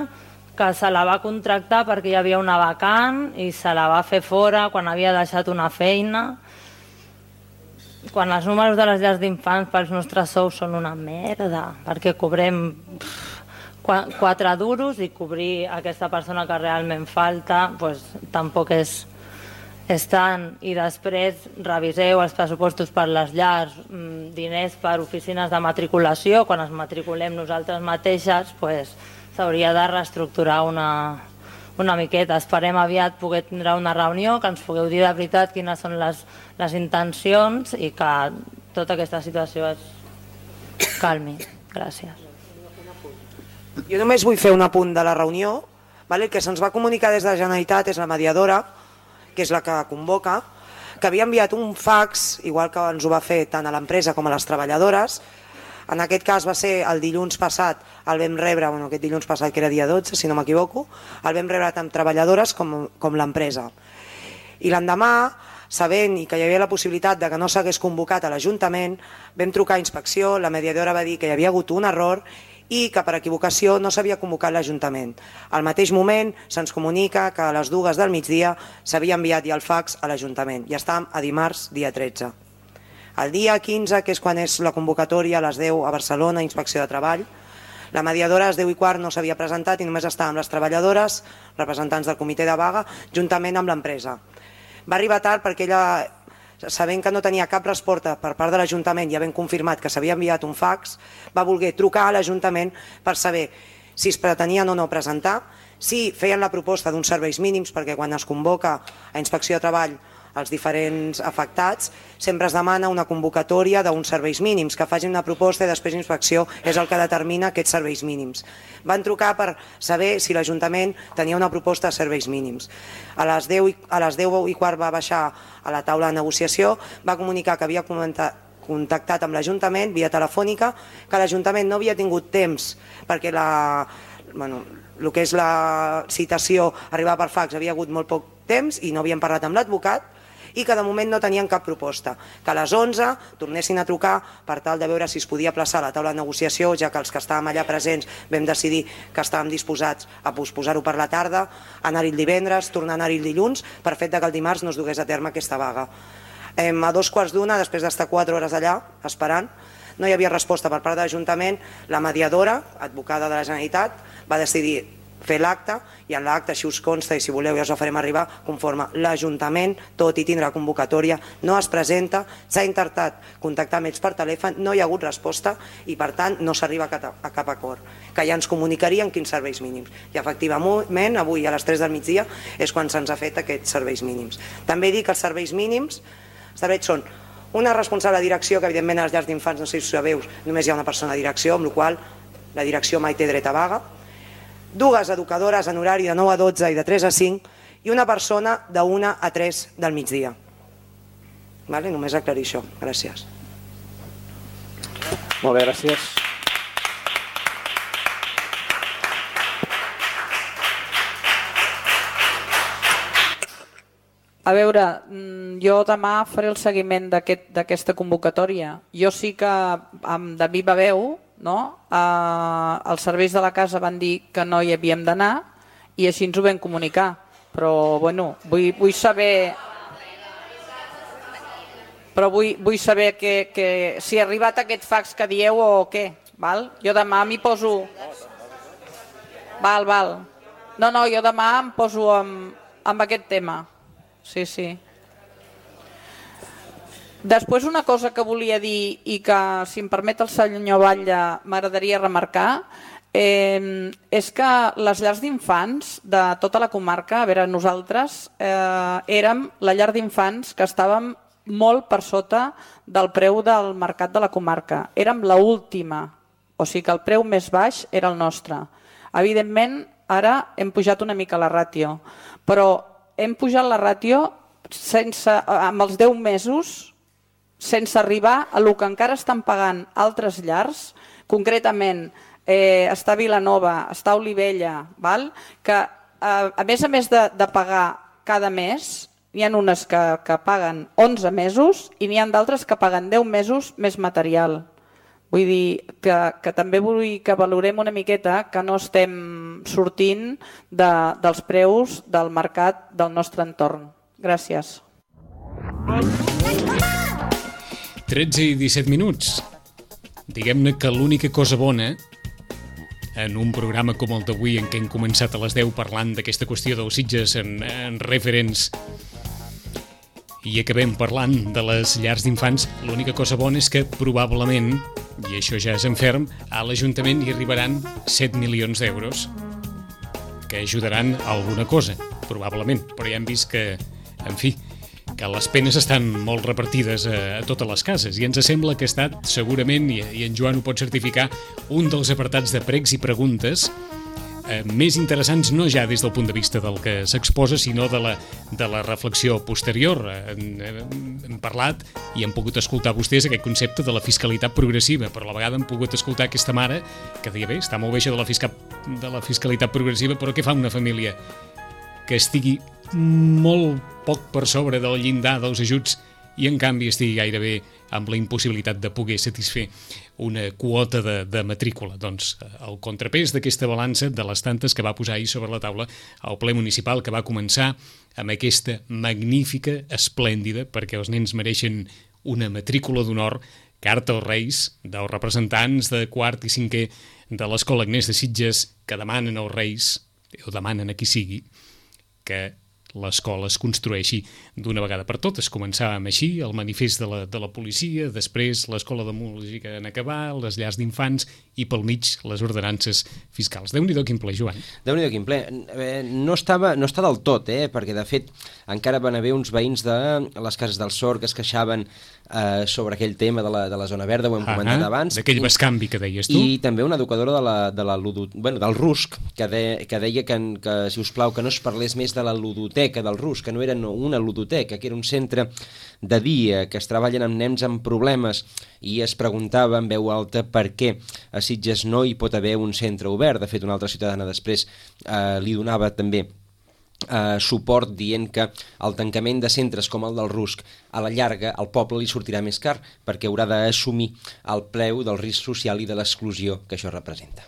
que se la va contractar perquè hi havia una vacant i se la va fer fora quan havia deixat una feina. Quan els números de les llars d'infants pels nostres sous són una merda, perquè cobrem quatre duros i cobrir aquesta persona que realment falta pues, tampoc és, és tant. I després reviseu els pressupostos per les llars, diners per oficines de matriculació, quan es matriculem nosaltres mateixes pues, s'hauria de reestructurar una, una miqueta. Esperem aviat poder tindre una reunió, que ens pugueu dir de veritat quines són les, les intencions i que tota aquesta situació es calmi. Gràcies. Jo només vull fer un apunt de la reunió. El que se'ns va comunicar des de la Generalitat és la mediadora, que és la que convoca, que havia enviat un fax, igual que ens ho va fer tant a l'empresa com a les treballadores. En aquest cas va ser el dilluns passat, el vam rebre, bueno, aquest dilluns passat que era dia dotze, si no m'equivoco, el vam rebre tant treballadores com, com l'empresa. I l'endemà, sabent i que hi havia la possibilitat de que no s'hagués convocat a l'Ajuntament, vam trucar a inspecció, la mediadora va dir que hi havia hagut un error i que per equivocació no s'havia convocat l'Ajuntament. Al mateix moment se'ns comunica que a les dues del migdia s'havia enviat ja el fax a l'Ajuntament i estàvem a dimarts, dia tretze. El dia quinze, que és quan és la convocatòria, a les deu a Barcelona, Inspecció de Treball, la mediadora a les deu i quart no s'havia presentat i només estàvem les treballadores, representants del comitè de vaga, juntament amb l'empresa. Va arribar tard perquè ella, sabent que no tenia cap resposta per part de l'Ajuntament i havent confirmat que s'havia enviat un fax, va voler trucar a l'Ajuntament per saber si es pretenien o no presentar, si feien la proposta d'uns serveis mínims, perquè quan es convoca a Inspecció de Treball els diferents afectats, sempre es demana una convocatòria d'uns serveis mínims, que facin una proposta i després Inspecció és el que determina aquests serveis mínims. Van trucar per saber si l'Ajuntament tenia una proposta de serveis mínims. A les deu i quart va baixar a la taula de negociació, va comunicar que havia comentat contactat amb l'Ajuntament via telefònica, que l'Ajuntament no havia tingut temps perquè la, bueno, el que és la citació arribar per fax havia hagut molt poc temps i no havien parlat amb l'advocat i que de moment no tenien cap proposta, que a les onze tornessin a trucar per tal de veure si es podia plaçar a la taula de negociació, ja que els que estàvem allà presents vam decidir que estàvem disposats a posposar-ho per la tarda, anar-hi el divendres, tornar a anar-hi el dilluns, per fet que el dimarts no es dugués a terme aquesta vaga. A dos quarts d'una, després d'estar quatre hores allà esperant, no hi havia resposta per part de l'Ajuntament, la mediadora, advocada de la Generalitat, va decidir fer l'acte i en l'acte, si us consta i si voleu ja us ho farem arribar, conforme l'Ajuntament, tot i tindre convocatòria, no es presenta, s'ha intentat contactar amb ells per telèfon, no hi ha hagut resposta i per tant no s'arriba a cap acord, que ja ens comunicarien quins serveis mínims. I efectivament avui a les tres del migdia és quan se'ns ha fet aquests serveis mínims. També dic que els serveis mínims establerts són una responsable de direcció, que evidentment a les llars d'infants, no sé si ho sabeu, només hi ha una persona de direcció, amb la qual cosa la direcció mai té dret a vaga. dues educadores en horari de nou a dotze i de tres a cinc i una persona de una a tres del migdia. Vale? Només aclarir això. Gràcies. Molt bé, gràcies. A veure, jo demà faré el seguiment d'aquesta convocatòria. Jo sí que, de viva veu, no? eh, els serveis de la casa van dir que no hi havíem d'anar i així ens ho vam comunicar. Però, bueno, vull, vull saber... Però vull, vull saber que, que, si ha arribat aquest fax que dieu o què. Val? Jo demà m'hi poso... Val, val. No, no, jo demà em poso amb, amb aquest tema. Sí, sí. Després una cosa que volia dir i que, si em permet el senyor Batlle, m'agradaria remarcar, eh, és que les llars d'infants de tota la comarca, a veure, nosaltres eh, érem la llar d'infants que estàvem molt per sota del preu del mercat de la comarca. Érem l'última, o sigui que el preu més baix era el nostre. Evidentment, ara hem pujat una mica la ràtio, però hem pujat la ràtio sense, amb els deu mesos sense arribar a el que encara estan pagant altres llars, concretament eh, està a Vilanova, està a Olivella, val? Que eh, a més a més de, de pagar cada mes, n'hi ha unes que, que paguen onze mesos i n'hi ha d'altres que paguen deu mesos més material. Vull dir que, que també vull que valorem una miqueta que no estem sortint de, dels preus del mercat del nostre entorn. Gràcies. tretze i disset minuts. Diguem-ne que l'única cosa bona en un programa com el d'avui en què hem començat a les deu parlant d'aquesta qüestió dels Sitges en, en referents i acabem parlant de les llars d'infants, l'única cosa bona és que probablement, i això ja és en ferm, a l'Ajuntament hi arribaran set milions d'euros que ajudaran a alguna cosa, probablement, però ja hem vist que, en fi, que les penes estan molt repartides a, a totes les cases i ens sembla que ha estat segurament, i, i en Joan ho pot certificar, un dels apartats de pregs i preguntes eh, més interessants, no ja des del punt de vista del que s'exposa, sinó de la, de la reflexió posterior. Hem, hem parlat i hem pogut escoltar vostès aquest concepte de la fiscalitat progressiva, però a la vegada hem pogut escoltar aquesta mare que deia, bé, està molt bé això de la, fisca, de la fiscalitat progressiva, però què fa una família que estigui molt poc per sobre del llindar dels ajuts i en canvi estigui gairebé amb la impossibilitat de poder satisfer una quota de, de matrícula? Doncs el contrapès d'aquesta balança de les tantes que va posar ahir sobre la taula el ple municipal, que va començar amb aquesta magnífica, esplèndida, perquè els nens mereixen una matrícula d'honor, carta als Reis dels representants de quart i cinquè de l'Escola Agnès de Sitges, que demanen als Reis, o demanen a qui sigui, que l'escola es construeixi d'una vegada per totes. Començàvem així, el manifest de la, de la policia, després l'escola de música en acabar, les llars d'infants i pel mig les ordenances fiscals. Déu-n'hi-do quin ple, Joan. Déu-n'hi-do quin ple. No, estava, no està del tot, eh? Perquè de fet encara van haver uns veïns de les cases del Sor que es queixaven eh, sobre aquell tema de la, de la zona verda, ho hem comentat uh-huh. abans. D'aquell bescanvi que deies tu. I també una educadora de la, de la ludo, bueno, del Rusc, que, de, que deia que, que, si us plau, que no es parlés més de la ludoteca del Rusc, que no era una ludoteca, que era un centre de dia, que es treballen amb nens amb problemes, i es preguntava en veu alta per què a Sitges no hi pot haver un centre obert. De fet, una altra ciutadana després eh, li donava també eh, suport dient que el tancament de centres com el del Rusc a la llarga al poble li sortirà més car perquè haurà d'assumir el preu del risc social i de l'exclusió que això representa.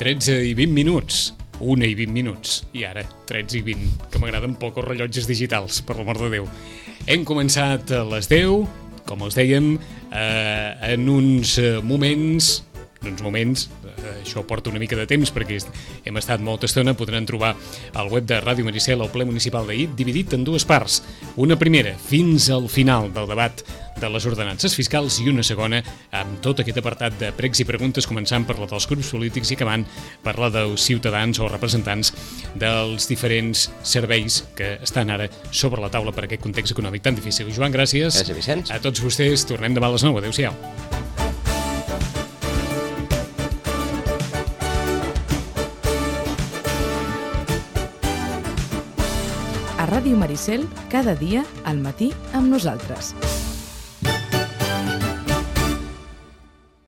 tretze i vint minuts, una i vint minuts, i ara tretze i vint, que m'agraden poc els rellotges digitals, per l'amor de Déu. Hem començat a les deu, com els dèiem, eh, en uns moments, en uns moments, això porta una mica de temps perquè hem estat molta estona, podran trobar al web de Ràdio Maricel el ple municipal d'ahir dividit en dues parts. Una primera, fins al final del debat de les ordenances fiscals, i una segona amb tot aquest apartat de pregs i preguntes, començant per la dels grups polítics i acabant per la dels ciutadans o representants dels diferents serveis que estan ara sobre la taula per aquest context econòmic tan difícil. Joan, gràcies. Gràcies, Vicenç. A tots vostès, tornem demà a les nou. Adéu-siau. A Ràdio Maricel, cada dia al matí amb nosaltres.